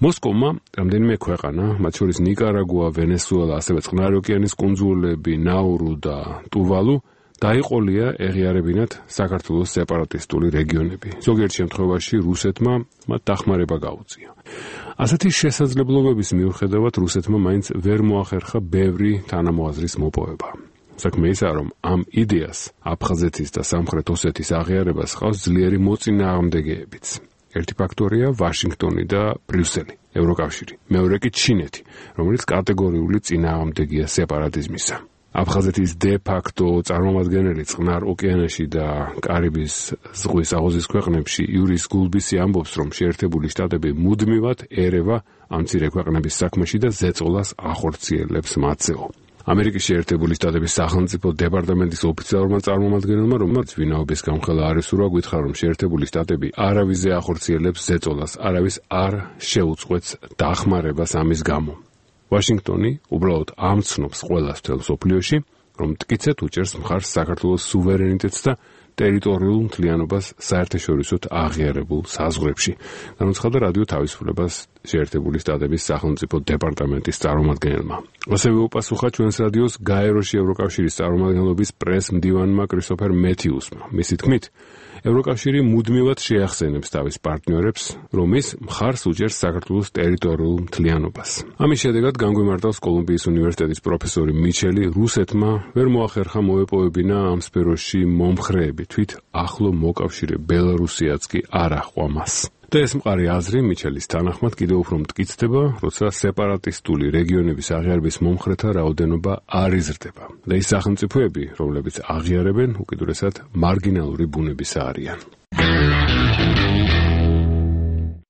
O: მოსკოვმა რამდენიმე ქვეყანა, მათ შორის ნიკარაგუა, ვენესუელა, ასევე წყნარი ოკეანის კუნძულები, ნაურუ და ტუვალუ დაიყოლია ეღიარებინათ საქართველოს სეპარატისტული რეგიონები. ზოგიერთ შემთხვევაში რუსეთმა მათ დახმარება გაუწია. ასეთი შესაძლებლობების მიუხედავად რუსეთმა მაინც ვერ მოახერხა ბევრი თანამოაზრის მოპოვება. საქმე ისაა, რომ ამ იდეას აფხაზეთის და სამხრეთ ოსეთის აღიარებას ჰყავს ძლიერი მოწინააღმდეგეებიც. ერთი ფაქტორია ვაშინგტონი და ბრიუსელი, ევროკავშირი, მეორე კი ჩინეთი, რომელიც კატეგორიული წინააღმდეგია სეპარატიზმისა. აფხაზეთის დე-ფაქტო წარმომადგენელი წყნარ ოკეანეში და კარიბის ზღვის აუზის ქვეყნებში იურის გულბისი ამბობს, რომ შეერთებული შტატები მუდმივად ერევა ამ მცირე ქვეყნების საქმეში და ზეწოლას ახორციელებს მათზეო. ამერიკის შეერთებული შტატების სახელმწიფო დეპარტამენტის ოფიციალურმა წარმომადგენელმა, რომელიც ვინაობის გამხელა არ ესურვა, გითხრა, რომ შეერთებული შტატები არავისზე ახორციელებს ზეწოლას, არავის არ შეუწყვეტს დახმარებას ამის გამო. ვაშინგტონი უბრალოდ ამცნობს ყველას მთელ მსოფლიოში, რომ მტკიცედ უჭერს მხარს საქართველოს სუვერენიტეტს და ტერიტორიულ მთლიანობას საერთაშორისოდ აღიარებულ საზღვრებში. განაცხადა რადიო თავისუფლებას შეერთებული შტატების სახელმწიფო დეპარტამენტის წარმომადგენელმა. ასევე უპასუხა ჩვენს რადიოს გაეროში ევროკავშირის წარმომადგენლობის პრეს-მდივანმა კრისტოფერ მეთიუსმა. მისი თქმით, ევროკავშირი მუდმივად შეახსენებს თავის პარტნიორებს, რომ ის მხარს უჭერს საქართველოს ტერიტორიულ მთლიანობას. ამის შედეგად განგვიმარტავს კოლუმბიის უნივერსიტეტის პროფესორი მიჩელი, რუსეთმა ვერ მოახერხა მოეპოვებინა ამ სფეროში მომხრეები, თვით ახლო მოკავშირე ბელარუსიაც კი არ აჰყვა მას.
A: და ეს მყარი აზრი მიჩელის თანახმად კიდევ უფრო მტკიცდება, როცა სეპარატისტული რეგიონების აღიარების მომხრეთა რაოდენობა არ იზრდება. და ის სახელმწიფოები, რომლებიც აღიარებენ, უკიდურესად მარგინალური ბუნებისა არიან.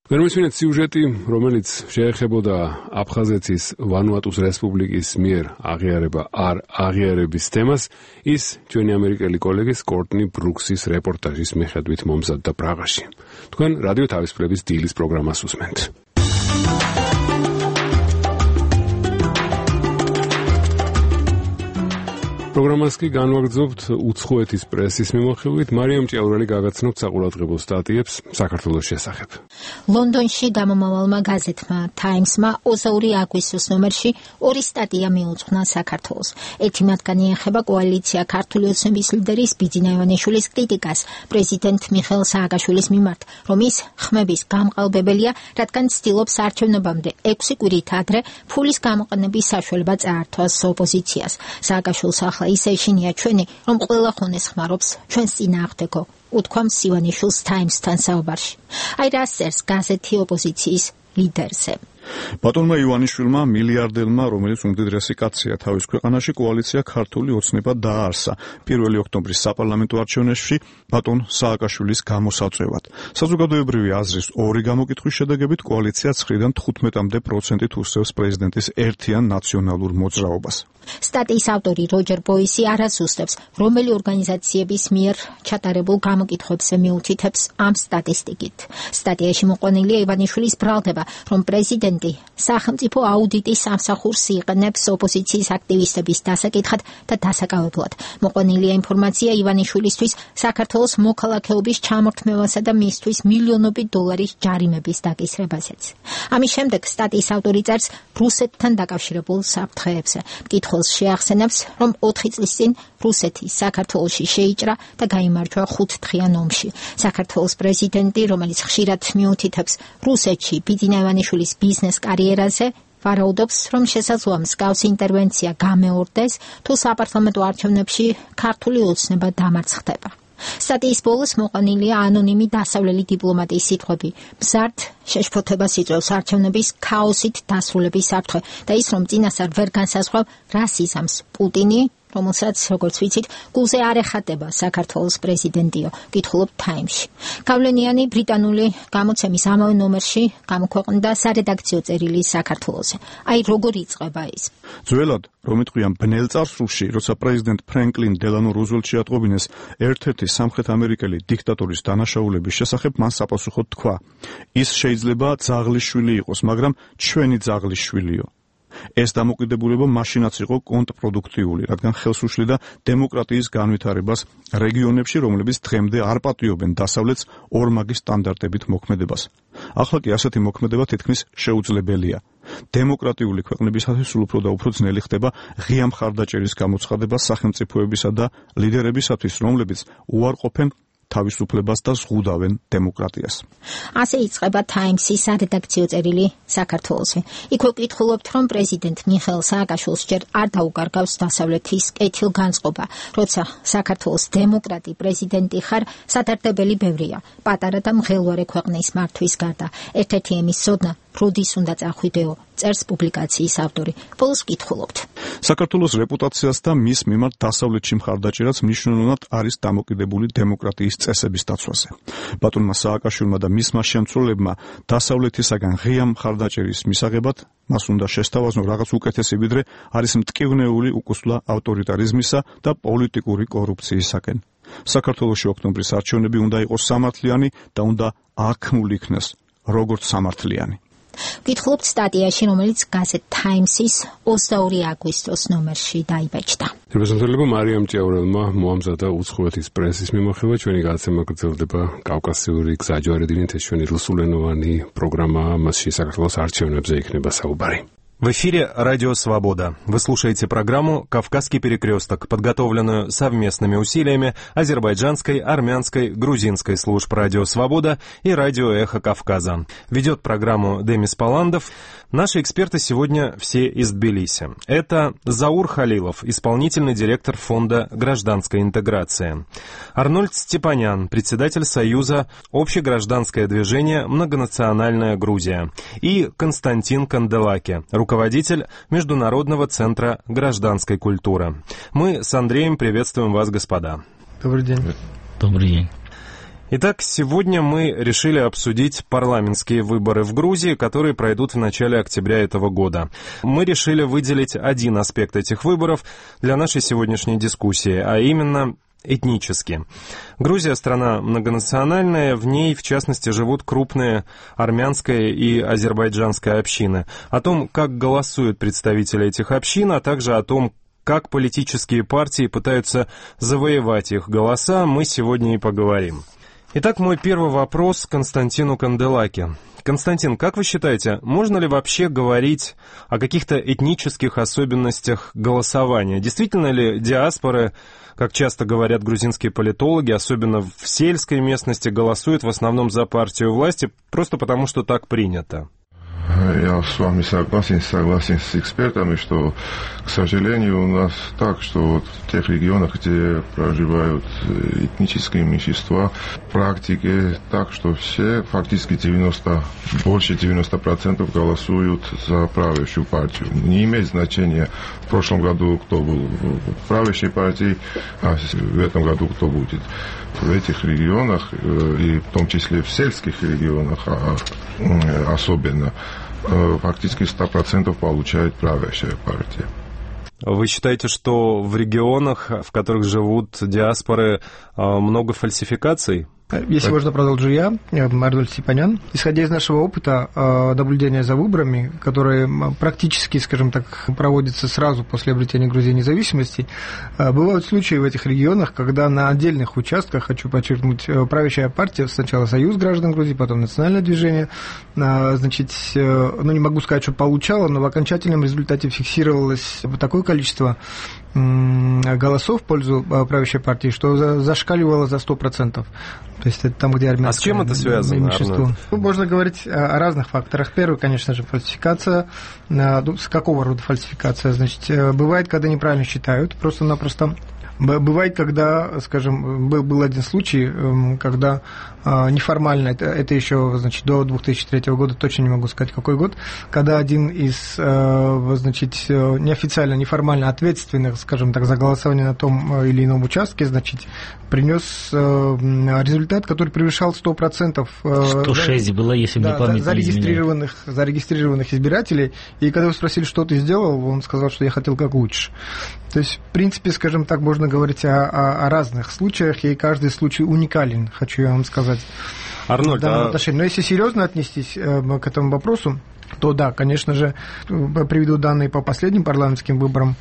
A: ვერ მისმინეთ სიუჟეტი, რომელიც შეეხებოდა აფხაზეთის ვანუატუს რესპუბლიკის მიერ აღიარება არ აღიარების თემას, ის ჩვენი ამერიკელი კოლეგის კორტნი ბრუქსის რეპორტაჟის მიხედვით მომზადდა პრაღაში. თქვენ რადიო თავისუფლების დილის პროგრამას უსმენთ. პროგრამას კი განვაგრძობთ უცხოეთის პრესის მიმოხილვით. მარიამ ჭიაურელი გაგაცნობთ საყურადღებო სტატიებს საქართველოს შესახებ.
B: ლონდონში გამომავალმა გაზეთმა Times-მა 22 აგვისტოს ნომერში ორი სტატია მიუძღვნა საქართველოს. ერთი მათგანი ეხება კოალიცია ქართული ოცნების ლიდერის ბიძინა ივანიშვილის კრიტიკას პრეზიდენტ მიხეილ სააკაშვილის მიმართ, რომ ის ხმების გამყალბებელია, რადგან ცდილობს არჩევნებამდე 6 კვირით ადრე ფულის გამოყენების საშუალება წაართვას ოპოზიციას. სააკაშვილს ახლა ისე ეშინია ჩვენი, რომ ყველა ხონეს ხმარობს ჩვენს წინააღმდეგო, უთქვამს ივანიშვილს Times-თან საუბარში. აი რა წერს გაზეთი ოპოზიციის ლიდერზე.
F: ბატონმა ივანიშვილმა მილიარდელმა, რომელიც უმდიდრესი კაცია თავის ქვეყანაში, კოალიცია ქართული ოცნება დააარსა 1 ოქტომბრის საპარლამენტო არჩევნებში ბატონ სააკაშვილის გამოსაწვევად. საზოგადოებრივი აზრის ორი გამოკითხვის შედეგებით კოალიცია 9-დან 15%-ით უსწევს პრეზიდენტის ერთიან ნაციონალურ მოძრაობას.
B: სტატიის ავტორი როჯერ ბოისი არასუსტებს, რომელი ორგანიზაციების მიერ ჩატარებულ გამოკითხვებზე მიუთითებს ამ სტატისტიკით. სტატიაში მოყვანილია ივანიშვილის ბრალდება, რომ პრეზიდენტი სახელმწიფო აუდიტის სამსახურს იყენებს ოპოზიციის აქტივისტების დასაკითხად და დასაკავებლად. მოყვანილია ინფორმაცია ივანიშვილისთვის საქართველოს მოქალაქეობის ჩამორთმევასა და მისთვის მილიონობით დოლარის ჯარიმების დაკისრებაზეც. ამის შემდეგ სტატიის ავტორი წერს რუსეთთან დაკავშირებულ საფრთხეებზე. შეახსენებს, რომ 4 წლის წინ რუსეთი საქართველოში შეიჭრა და გაიმარჯვა 5 დღიან ომში. საქართველოს პრეზიდენტი, რომელიც ხშირად მიუთითებს რუსეთში ბიძინა ივანიშვილის ბიზნეს კარიერაზე, ვარაუდობს, რომ შესაძლოა მსგავსი ინტერვენცია გამეორდეს, თუ საპარლამენტო არჩევნებში ქართული ოცნება დამარცხდება. სტატიის ბოლოს მოყვანილია ანონიმი დასავლელი დიპლომატის სიტყვები. მზარდ შეშფოთებას იწვევს არჩევნების ქაოსით დასრულების საფრთხე და ის, რომ წინასწარ ვერ განსაზღვრავ რას იზამს პუტინი, რომელსაც, როგორც ვიცით, გულზე არ ეხატება საქართველოს პრეზიდენტიო, კითხულობ Times-ში. გავლენიანი ბრიტანული გამოცემის ამავე ნომერში გამოქვეყნდა სარედაქციო წერილი საქართველოზე. აი როგორ იწყება ის.
F: ძველად, რომ იტყვიან ბნელ წარსულში, როცა პრეზიდენტ ფრენკლინ დელანო რუზველტი შეატყობინეს ერთ-ერთი სამხრეთ ამერიკელი დიქტატორის დანაშაულების შესახებ, მან საპასუხოდ თქვა: ის შეიძლება ძაღლის შვილი იყოს, მაგრამ ჩვენი ძაღლის შვილიო. ეს დამოკიდებულება მაშინაც იყო კონტრპროდუქტიული, რადგან ხელს უშლიდა დემოკრატიის განვითარებას რეგიონებში, რომლებიც დღემდე არ პატიობენ დასავლეთს ორმაგი სტანდარტებით მოქმედებას. ახლა კი ასეთი მოქმედება თითქმის შეუძლებელია. დემოკრატიული ქვეყნებისათვის სულ უფრო და უფრო ძნელი ხდება ღია მხარდაჭერის გამოცხადება სახელმწიფოებისა და ლიდერებისათვის, რომლებიც უარყოფენ თავისუფლებას და ზღუდავენ დემოკრატიას.
B: ასე იწყება Times-ის სარედაქციო წერილი საქართველოსი. იქვე ვკითხულობთ, რომ პრეზიდენტ მიხეილ სააკაშვილს ჯერ არ დაუკარგავს დასავლეთის კეთილგანწყობა, როცა საქართველოს დემოკრატი პრეზიდენტი ხარ, სადარდებელი ბევრია, პატარა და მღელვარე ქვეყნის მართვის გარდა. ერთ-ერთი ემის ცოდნა როდის უნდა წახვიდეო, წერს პუბლიკაციის ავტორი. ბოლოს ვკითხულობთ.
F: საქართველოს რეპუტაციას და მის მიმართ დასავლეთში მხარდაჭერას მნიშვნელოვნად არის დამოკიდებული დემოკრატიის წესების დაცვაზე. ბატონმა სააკაშვილმა და მისმა შემცველებმა დასავლეთისაგან ღია მხარდაჭერის მისაღებად მას უნდა შესთავაზნო რაღაც უკეთესი, ვიდრე არის მტკივნეული უკუსლა ავტორიტარიზმისა და პოლიტიკური კორუფციისაკენ. საქართველოში ოქტომბრის არჩევნები უნდა იყოს სამართლიანი და უნდა აღქმული იქნეს როგორც სამართლიანი.
B: ვკითხულობთ სტატიაში, რომელიც გაზეთ Times-ის 22 აგვისტოს ნომერში დაიბეჭდა.
A: რეზოლუცია მარიამ ჭიაურელმა მოამზადა უცხოეთის პრესის მიმოხილვა. ჩვენი გადაცემა გრძელდება კავკასიური გზაჯვარედინით, ეს ჩვენი რუსულენოვანი პროგრამაა, მასში საქართველოს არჩევნებზე იქნება საუბარი.
H: В эфире «Радио Свобода». Вы слушаете программу «Кавказский перекресток», подготовленную совместными усилиями азербайджанской, армянской, грузинской служб «Радио Свобода» и «Радио Эхо Кавказа». Ведет программу Демис Паландов. Наши эксперты сегодня все из Тбилиси. Это Заур Халилов, исполнительный директор Фонда гражданской интеграции. Арнольд Степанян, председатель Союза «Общегражданское движение Многонациональная Грузия». И Константин Канделаки, руководитель Международного центра гражданской культуры. Мы с Андреем приветствуем вас, господа.
I: Добрый день.
J: Добрый день.
H: Итак, сегодня мы решили обсудить парламентские выборы в Грузии, которые пройдут в начале октября этого года. Мы решили выделить один аспект этих выборов для нашей сегодняшней дискуссии, а именно этнически. Грузия — страна многонациональная, в ней, в частности, живут крупные армянская и азербайджанская общины. О том, как голосуют представители этих общин, а также о том, как политические партии пытаются завоевать их голоса, мы сегодня и поговорим. Итак, мой первый вопрос Константину Канделаки. Константин, как вы считаете, можно ли вообще говорить о каких-то этнических особенностях голосования? Действительно ли диаспоры, как часто говорят грузинские политологи, особенно в сельской местности, голосуют в основном за партию власти просто потому, что так принято?
K: Я с вами согласен с экспертами, что, к сожалению, у нас так, что вот в тех регионах, где проживают этнические меньшинства, в практике так, что все, фактически больше 90% голосуют за правящую партию. Не имеет значения в прошлом году, кто был в правящей партии, а в этом году кто будет. В этих регионах, и в том числе в сельских регионах особенно, фактически 100% получает правящая партия.
H: Вы считаете, что в регионах, в которых живут диаспоры, много фальсификаций?
I: Если можно, продолжу я, Арнольд Степанян. Исходя из нашего опыта наблюдения за выборами, которые практически, скажем так, проводятся сразу после обретения Грузии независимости, бывают случаи в этих регионах, когда на отдельных участках, хочу подчеркнуть, правящая партия, сначала Союз граждан Грузии, потом Национальное движение, значит, не могу сказать, что получала, но в окончательном результате фиксировалось такое количество голосов в пользу правящей партии, что зашкаливало за 100%. То есть это там, где армянское.
H: А с чем это связано?
I: Можно говорить о разных факторах. Первый, конечно же, фальсификация. С какого рода фальсификация? Значит, бывает, когда неправильно считают, просто-напросто. Бывает, когда, скажем, был один случай, когда неформально, это еще, значит, до 2003 года, точно не могу сказать, какой год, когда один из, значит, неофициально, неформально ответственных, скажем так, за голосование на том или ином участке, значит, принес результат, который превышал 100%.
J: 106 было, если мне память не изменяет.
I: Зарегистрированных избирателей. И когда вы спросили, что ты сделал, он сказал, что я хотел как лучше. То есть, в принципе, скажем так, можно говорить о разных случаях, и каждый случай уникален, хочу я вам сказать.
H: Арнольд,
I: Но если серьезно отнестись к этому вопросу, то да, конечно же, приведу данные по последним парламентским выборам.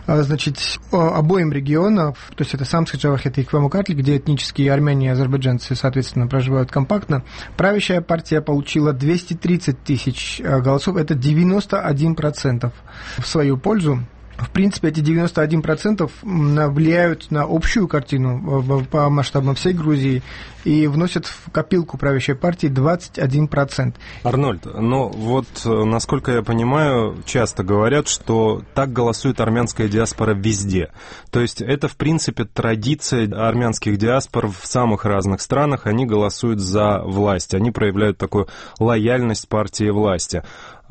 I: Значит, обоим регионам, то есть это Самская-Джавахет и Квамукатли, где этнические армяне и азербайджанцы, соответственно, проживают компактно, правящая партия получила 230 тысяч голосов, это 91% в свою пользу. В принципе, эти 91% влияют на общую картину по масштабам всей Грузии и вносят в копилку правящей партии 21%.
H: Арнольд, но вот, насколько я понимаю, часто говорят, что так голосует армянская диаспора везде. То есть это, в принципе, традиция армянских диаспор в самых разных странах. Они голосуют за власть, они проявляют такую лояльность партии власти.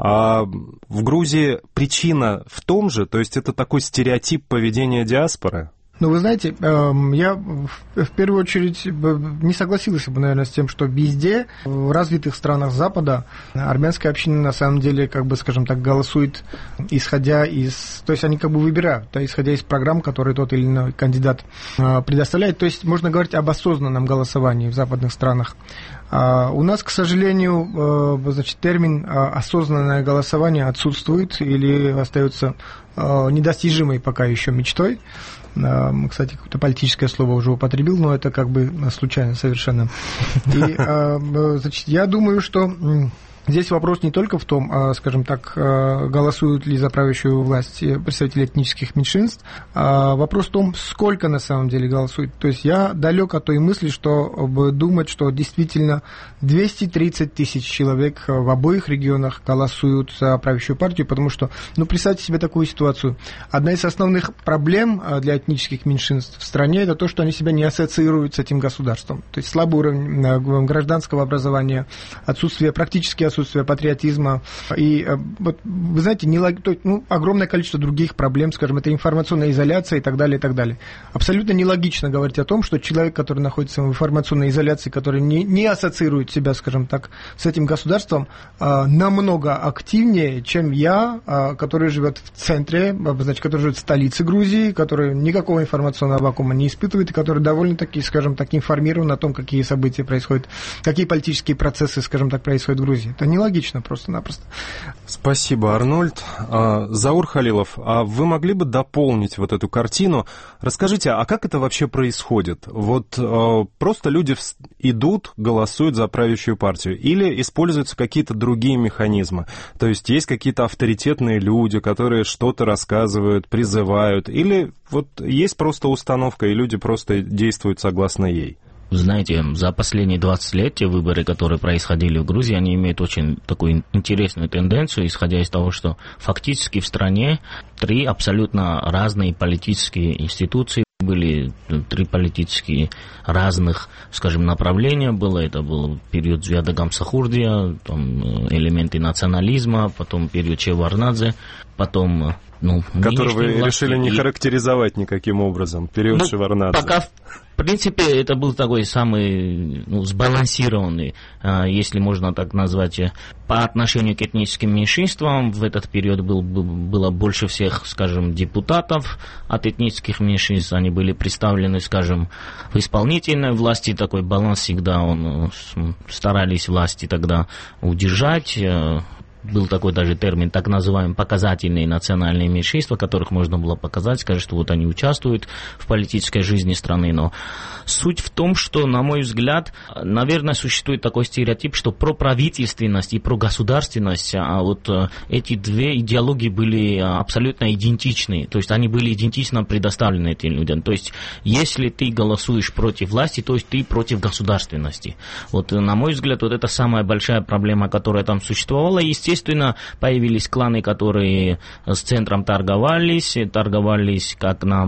H: А в Грузии причина в том же, то есть это такой стереотип поведения диаспоры?
I: Ну, вы знаете, я в первую очередь не согласился бы, наверное, с тем, что везде, в развитых странах Запада, армянская община, на самом деле, как бы, скажем так, голосует, исходя из... То есть они как бы выбирают, да, исходя из программ, которые тот или иной кандидат предоставляет. То есть можно говорить об осознанном голосовании в западных странах. У нас, к сожалению, значит, термин «осознанное голосование» отсутствует или остается недостижимой пока еще мечтой. Кстати, какое-то политическое слово уже употребил, но это как бы случайно совершенно. И, значит, я думаю, что Здесь вопрос не только в том, скажем так, голосуют ли за правящую власть представители этнических меньшинств, вопрос в том, сколько на самом деле голосует. То есть я далек от той мысли, что думать, что действительно 230 тысяч человек в обоих регионах голосуют за правящую партию, потому что, представьте себе такую ситуацию. Одна из основных проблем для этнических меньшинств в стране – это то, что они себя не ассоциируют с этим государством. То есть слабый уровень гражданского образования, практически отсутствие патриотизма. И вот, вы знаете, огромное количество других проблем, скажем, это информационная изоляция и так далее, и так далее. Абсолютно нелогично говорить о том, что человек, который находится в информационной изоляции, который не ассоциирует себя, скажем так, с этим государством, намного активнее, чем я, который живет в центре, значит, который живет в столице Грузии, который никакого информационного вакуума не испытывает и который довольно-таки, скажем так, информирован о том, какие события происходят, какие политические процессы, скажем так, происходят в Грузии. Это нелогично просто-напросто.
H: Спасибо, Арнольд. Заур Халилов, а вы могли бы дополнить вот эту картину? Расскажите, а как это вообще происходит? Вот просто люди идут, голосуют за правящую партию или используются какие-то другие механизмы? То есть есть какие-то авторитетные люди, которые что-то рассказывают, призывают, или вот есть просто установка, и люди просто действуют согласно ей?
J: Знаете, за последние 20 лет те выборы, которые происходили в Грузии, они имеют очень такую интересную тенденцию, исходя из того, что фактически в стране 3 абсолютно разные политические институции были, 3 политические разных, скажем, направления было. Это был период Звяда Гамсахурдия, там элементы национализма, потом период Чеварнадзе, потом...
H: который вы решили не характеризовать никаким образом, период Шеварнадзе.
J: Пока, в принципе, это был такой самый сбалансированный, если можно так назвать, по отношению к этническим меньшинствам. В этот период было больше всех, скажем, депутатов от этнических меньшинств. Они были представлены, скажем, в исполнительной власти. Такой баланс всегда старались власти тогда удержать. Был такой даже термин, так называемые показательные национальные меньшинства, которых можно было показать, сказать, что вот они участвуют в политической жизни страны. Но суть в том, что, на мой взгляд, наверное, существует такой стереотип, что проправительственность и прогосударственность, а вот эти 2 идеологии были абсолютно идентичны. То есть они были идентично предоставлены этим людям. То есть если ты голосуешь против власти, то есть ты против государственности. Вот, на мой взгляд, вот это самая большая проблема, которая там существовала. Естественно, появились кланы, которые с центром торговались как на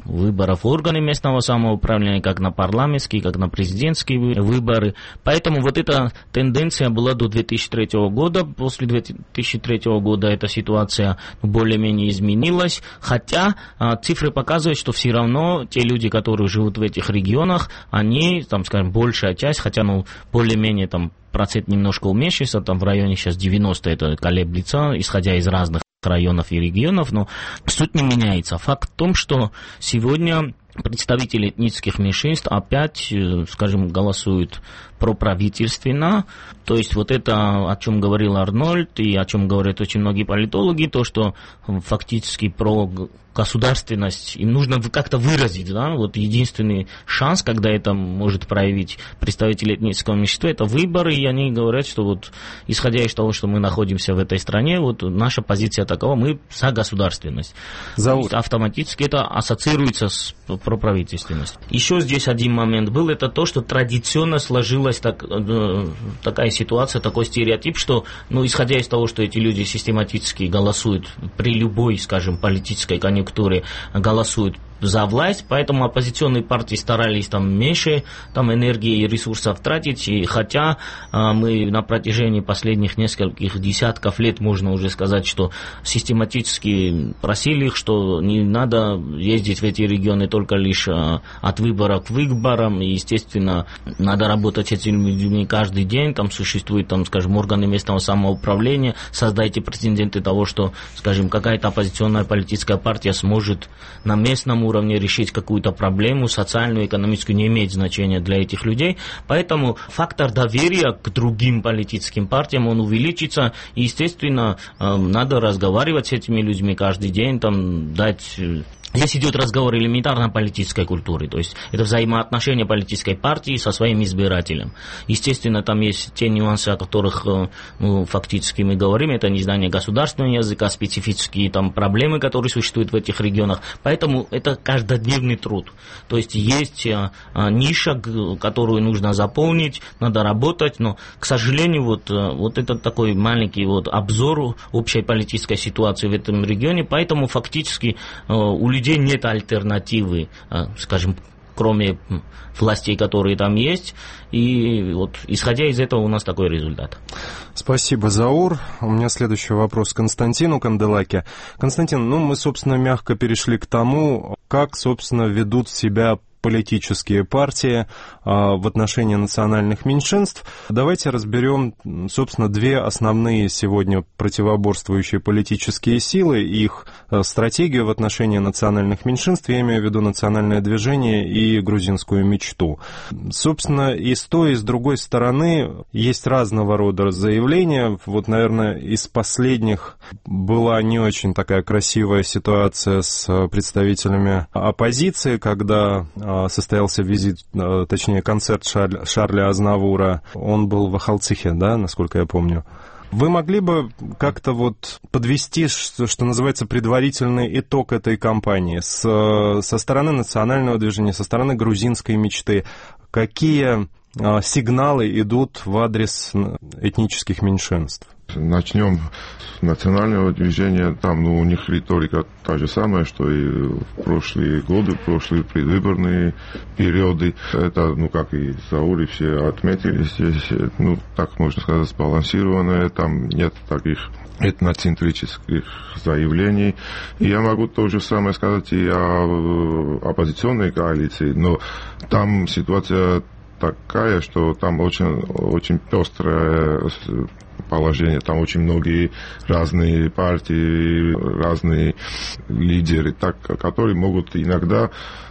J: выборах в органы местного самоуправления, как на парламентские, как на президентские выборы. Поэтому вот эта тенденция была до 2003 года. После 2003 года эта ситуация более-менее изменилась, хотя цифры показывают, что все равно те люди, которые живут в этих регионах, они, там, скажем, большая часть, хотя, более-менее там процент немножко уменьшился, там в районе сейчас 90, это колеблется, исходя из разных районов и регионов, но суть не меняется. Факт в том, что сегодня представители этнических меньшинств опять, скажем, голосуют проправительственно. То есть вот это, о чем говорил Арнольд и о чем говорят очень многие политологи, то, что фактически про государственность им нужно как-то выразить, да, вот единственный шанс, когда это может проявить представители этнического меньшинства, это выборы, и они говорят, что вот, исходя из того, что мы находимся в этой стране, вот наша позиция такова, мы за государственность. Автоматически это ассоциируется с проправительственностью. Еще здесь один момент был, это то, что традиционно сложилась такая ситуация, такой стереотип, что, исходя из того, что эти люди систематически голосуют при любой, скажем, политической конъюнктуре, голосуют за власть, поэтому оппозиционные партии старались меньше энергии и ресурсов тратить, и хотя мы на протяжении последних нескольких десятков лет, можно уже сказать, что систематически просили их, что не надо ездить в эти регионы только лишь от выбора к выборам, и, естественно, надо работать с этими людьми каждый день, там существуют, скажем, органы местного самоуправления, создайте прецеденты того, что, скажем, какая-то оппозиционная политическая партия сможет на местном уровне решить какую-то проблему, социальную, экономическую, не имеет значения для этих людей. Поэтому фактор доверия к другим политическим партиям, он увеличится. И, естественно, надо разговаривать с этими людьми каждый день, дать Здесь идет разговор элементарно о политической культуре, то есть это взаимоотношения политической партии со своим избирателем. Естественно, там есть те нюансы, о которых фактически мы говорим, это незнание государственного языка, специфические там проблемы, которые существуют в этих регионах, поэтому это каждодневный труд. То есть есть ниша, которую нужно заполнить, надо работать, но, к сожалению, вот это такой маленький обзор общей политической ситуации в этом регионе, поэтому фактически у людей нет альтернативы, скажем, кроме властей, которые там есть. И исходя из этого у нас такой результат.
H: Спасибо, Заур. У меня следующий вопрос к Константину Канделаке. Константин, мы, собственно, мягко перешли к тому, как, собственно, ведут себя политические партии в отношении национальных меньшинств. Давайте разберем, собственно, две основные сегодня противоборствующие политические силы, их стратегию в отношении национальных меньшинств, я имею в виду национальное движение и грузинскую мечту. Собственно, и с той, и с другой стороны есть разного рода заявления. Наверное, из последних была не очень такая красивая ситуация с представителями оппозиции, когда состоялся визит, точнее, концерт Шарля Азнавура. Он был в Ахалцихе, да, насколько я помню. Вы могли бы как-то подвести, что называется, предварительный итог этой кампании со стороны национального движения, со стороны грузинской мечты? Какие сигналы идут в адрес этнических меньшинств?
K: Начнем с национального движения. Там, у них риторика та же самая, что и в прошлые годы, в прошлые предвыборные периоды. Это, как и Заури все отметили здесь, так можно сказать, сбалансированное. Там нет таких этноцентрических заявлений. И я могу то же самое сказать и о оппозиционной коалиции, но там ситуация такая, что там очень пестрое положение, там очень многие разные партии, разные лидеры, которые могут иногда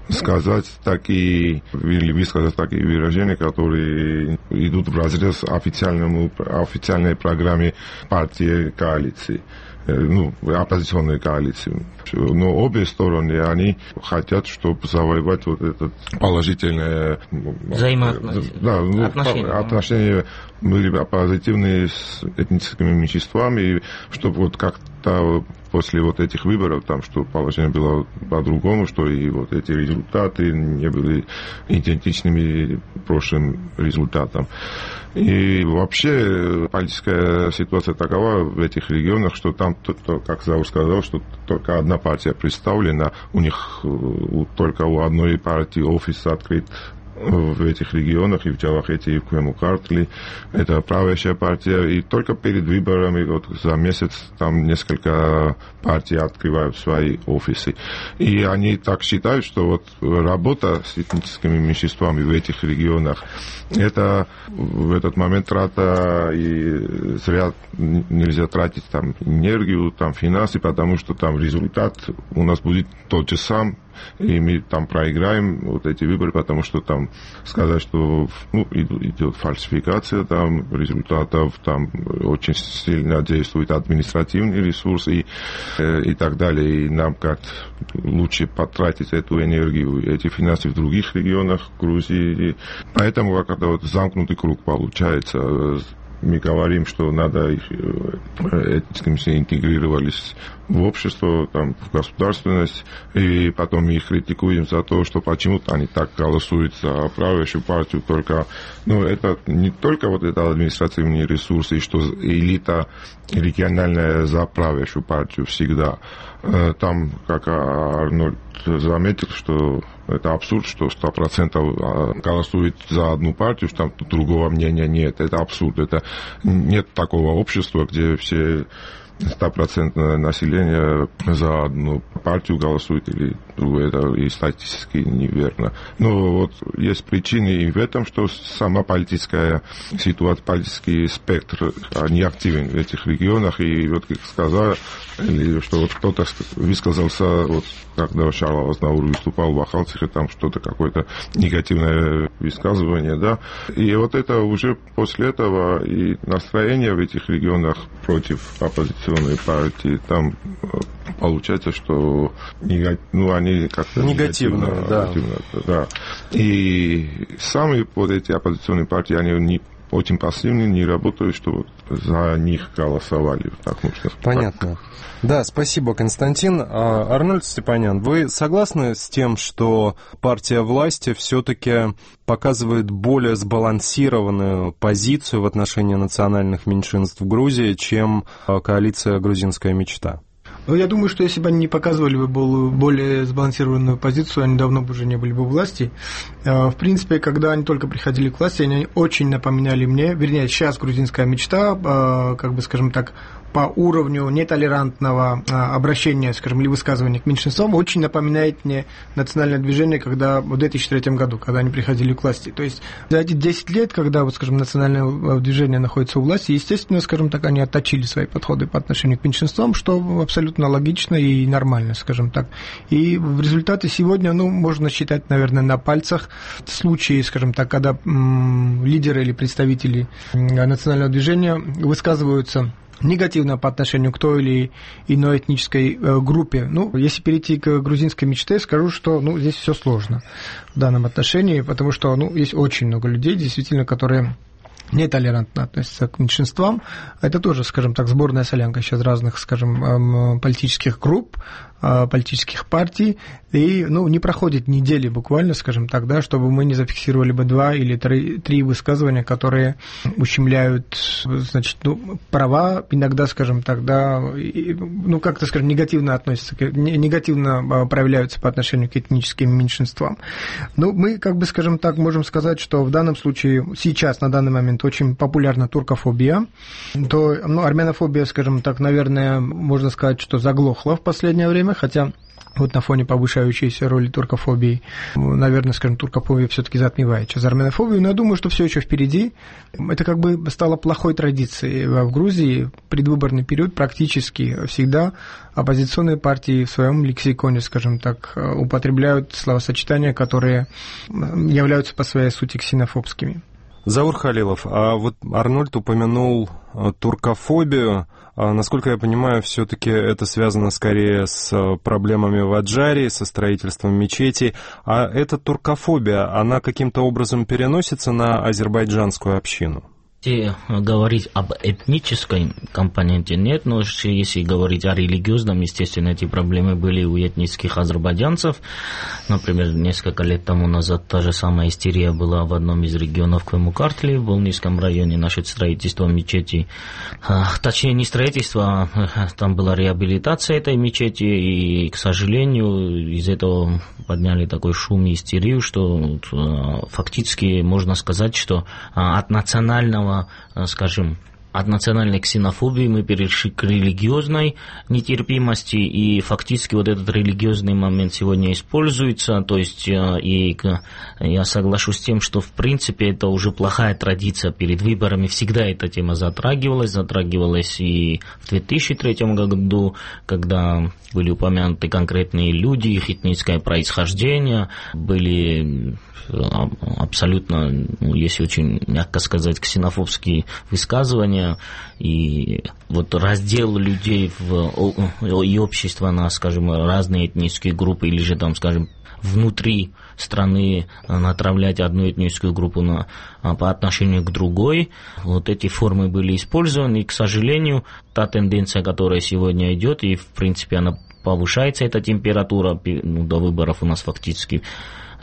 K: сказать или высказать такие выражения, которые идут вразрез официальной программе партии коалиции. Оппозиционной коалиции. Но обе стороны, они хотят, чтобы завоевать этот положительное отношения были позитивные с этническими меньшинствами, и чтобы как-то после этих выборов, что положение было по-другому, что и эти результаты не были идентичными прошлым результатам. И вообще политическая ситуация такова в этих регионах, что там, как Заур сказал, что только одна партия представлена, у них только у одной партии офис открыт в этих регионах, и в Джавахете, и в Квемукартли. Это правящая партия. И только перед выборами, за месяц, там несколько партий открывают свои офисы. И они так считают, что работа с этническими меньшинствами в этих регионах, это в этот момент трата, и зря нельзя тратить там энергию, там финансы, потому что там результат у нас будет тот же самый. И мы там проиграем эти выборы, потому что там сказать, что идет фальсификация там результатов, там очень сильно действует административный ресурс и так далее. И нам как лучше потратить эту энергию, эти финансы в других регионах Грузии. Поэтому как-то замкнутый круг получается. Мы говорим, что надо их этнически интегрировались в общество, там, в государственность, и потом мы их критикуем за то, что почему-то они так голосуют за правящую партию, только, это не только это административные ресурсы, и что элита региональная за правящую партию всегда. Там, как Арнольд заметил, что это абсурд, что 100% голосует за одну партию, что там другого мнения нет. Это абсурд. Это нет такого общества, где все 100% населения за одну партию голосует или другую. Это и статистически неверно. Но есть причины и в этом, что сама политическая ситуация, политический спектр не активен в этих регионах. И как сказал, что кто-то высказался, когда Шарл Азнавур выступал в Ахалцихе, там что-то какое-то негативное высказывание, да. И это уже после этого и настроение в этих регионах против оппозиционной партии, там получается, что они как-то
H: негативно,
K: да. И сами вот эти оппозиционные партии, они очень пассивны, не работают, что за них голосовали. Так можно сказать.
H: Понятно. Да, спасибо, Константин. Арнольд Степанян, вы согласны с тем, что партия власти все-таки показывает более сбалансированную позицию в отношении национальных меньшинств в Грузии, чем коалиция «Грузинская мечта»?
I: Ну, я думаю, что если бы они не показывали бы более сбалансированную позицию, они давно бы уже не были бы у власти. В принципе, когда они только приходили к власти, они очень напоминали мне, вернее, сейчас «Грузинская мечта», как бы, скажем так, по уровню нетолерантного обращения, скажем, или высказывания к меньшинствам, очень напоминает мне национальное движение, когда в 2003 году, когда они приходили к власти. То есть за эти 10 лет, когда, вот, скажем, национальное движение находится у власти, естественно, скажем так, они отточили свои подходы по отношению к меньшинствам, что абсолютно логично и нормально, скажем так. И в результате сегодня, можно считать, наверное, на пальцах случаи, скажем так, когда лидеры или представители национального движения высказываются негативно по отношению к той или иной этнической группе. Если перейти к грузинской мечте, скажу, что здесь все сложно в данном отношении, потому что есть очень много людей, действительно, которые нетолерантно относятся к меньшинствам. Это тоже, скажем так, сборная солянка сейчас разных, скажем, политических групп, политических партий, и не проходит недели буквально, скажем так, да, чтобы мы не зафиксировали бы 2 или 3 высказывания, которые ущемляют, значит, права, иногда, скажем так, да, как-то, скажем, негативно относятся, негативно проявляются по отношению к этническим меньшинствам. Мы, как бы, скажем так, можем сказать, что в данном случае сейчас, на данный момент, очень популярна туркофобия, то армянофобия, скажем так, наверное, можно сказать, что заглохла в последнее время, хотя вот на фоне повышающейся роли туркофобии, наверное, скажем, туркофобия все-таки затмевает сейчас армянофобию, но я думаю, что все еще впереди. Это как бы стало плохой традицией в Грузии. Предвыборный период практически всегда оппозиционные партии в своем лексиконе, скажем так, употребляют словосочетания, которые являются по своей сути ксенофобскими.
H: Заур Халилов, а вот Арнольд упомянул туркофобию. Насколько я понимаю, все-таки это связано скорее с проблемами в Аджаре, со строительством мечетей. А эта туркофобия, она каким-то образом переносится на азербайджанскую общину?
J: Если говорить об этнической компоненте, нет, но если говорить о религиозном, естественно, эти проблемы были у этнических азербайджанцев. Например, несколько лет тому назад та же самая истерия была в одном из регионов Квемукартли, в Волнийском районе, насчет строительства мечети. Точнее, не строительство, там была реабилитация этой мечети, и, к сожалению, из этого подняли такой шум и истерию, что фактически можно сказать, что от национального, скажем, от национальной ксенофобии мы перешли к религиозной нетерпимости, и фактически вот этот религиозный момент сегодня используется, то есть и я соглашусь с тем, что в принципе это уже плохая традиция, перед выборами всегда эта тема затрагивалась и в 2003 году, когда были упомянуты конкретные люди, их этническое происхождение, были абсолютно, если очень мягко сказать, ксенофобские высказывания, и вот раздел людей и общества на, скажем, разные этнические группы, или же там, скажем, внутри страны направлять одну этническую группу по отношению к другой. Вот эти формы были использованы, и, к сожалению, та тенденция, которая сегодня идет, и, в принципе, она повышается, эта температура, до выборов у нас фактически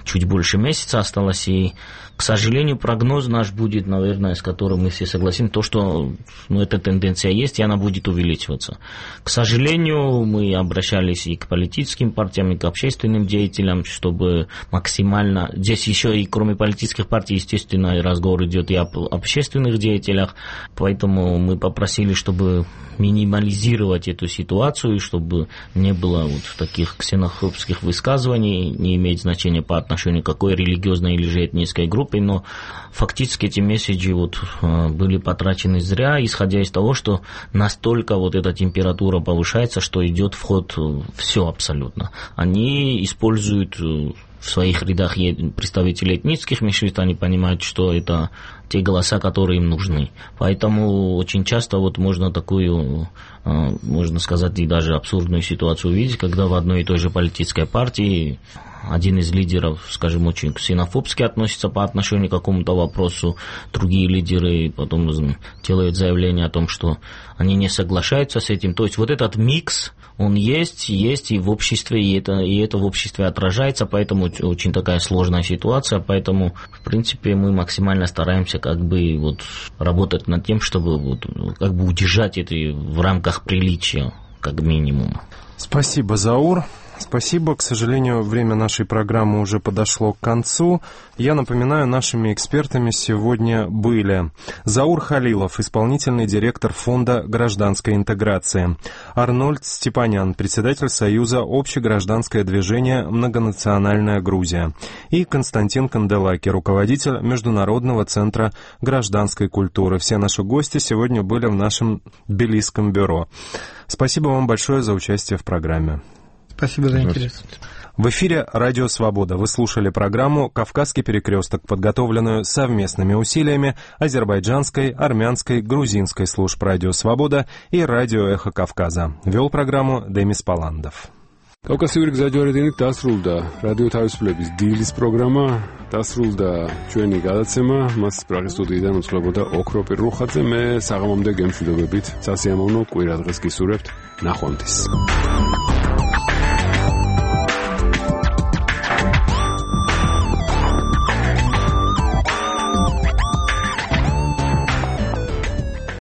J: чуть больше месяца осталось, и, к сожалению, прогноз наш будет, наверное, с которым мы все согласимся, то, что эта тенденция есть, и она будет увеличиваться. К сожалению, мы обращались и к политическим партиям, и к общественным деятелям, чтобы максимально... Здесь еще и кроме политических партий, естественно, разговор идет и об общественных деятелях, поэтому мы попросили, чтобы минимализировать эту ситуацию, и чтобы не было вот таких ксенофобских высказываний, не имеет значения по отношению к какой религиозной или же этнической группе, но фактически эти месседжи были потрачены зря, исходя из того, что настолько вот эта температура повышается, что идет в ход все абсолютно. Они используют в своих рядах представители этнических меньшинств, они понимают, что это те голоса, которые им нужны. Поэтому очень часто вот можно такую, можно сказать, и даже абсурдную ситуацию увидеть, когда в одной и той же политической партии один из лидеров, скажем, очень ксенофобски относится по отношению к какому-то вопросу, другие лидеры потом делают заявление о том, что они не соглашаются с этим. То есть вот этот микс, он есть и в обществе, и это в обществе отражается, поэтому очень такая сложная ситуация, поэтому, в принципе, мы максимально стараемся как бы вот работать над тем, чтобы вот как бы удержать это в рамках приличия, как минимум.
H: Спасибо, Заур. Спасибо. К сожалению, время нашей программы уже подошло к концу. Я напоминаю, нашими экспертами сегодня были Заур Халилов, исполнительный директор Фонда гражданской интеграции, Арнольд Степанян, председатель Союза общегражданское движение «Многонациональная Грузия», и Константин Канделаки, руководитель Международного центра гражданской культуры. Все наши гости сегодня были в нашем Тбилисском бюро. Спасибо вам большое за участие в программе.
I: Спасибо за интерес.
H: В эфире «Радио Свобода». Вы слушали программу «Кавказский перекресток», подготовленную совместными усилиями азербайджанской, армянской, грузинской служб «Радио Свобода» и «Радио Эхо Кавказа». Вел программу Демис Паландов.
A: კავკასიური გზაჯვარედინით დასრულდა რადიო თავისუფლების დილის პროგრამა, დასრულდა ჩვენი გადაცემა, მას პრაღის სტუდიიდან უწყლებოდა ოქრო პირრუხაძე, მე საღამომდე გემშვიდობებით სასიამოვნო კვირადღეს გისურვებთ, ნახვამდის.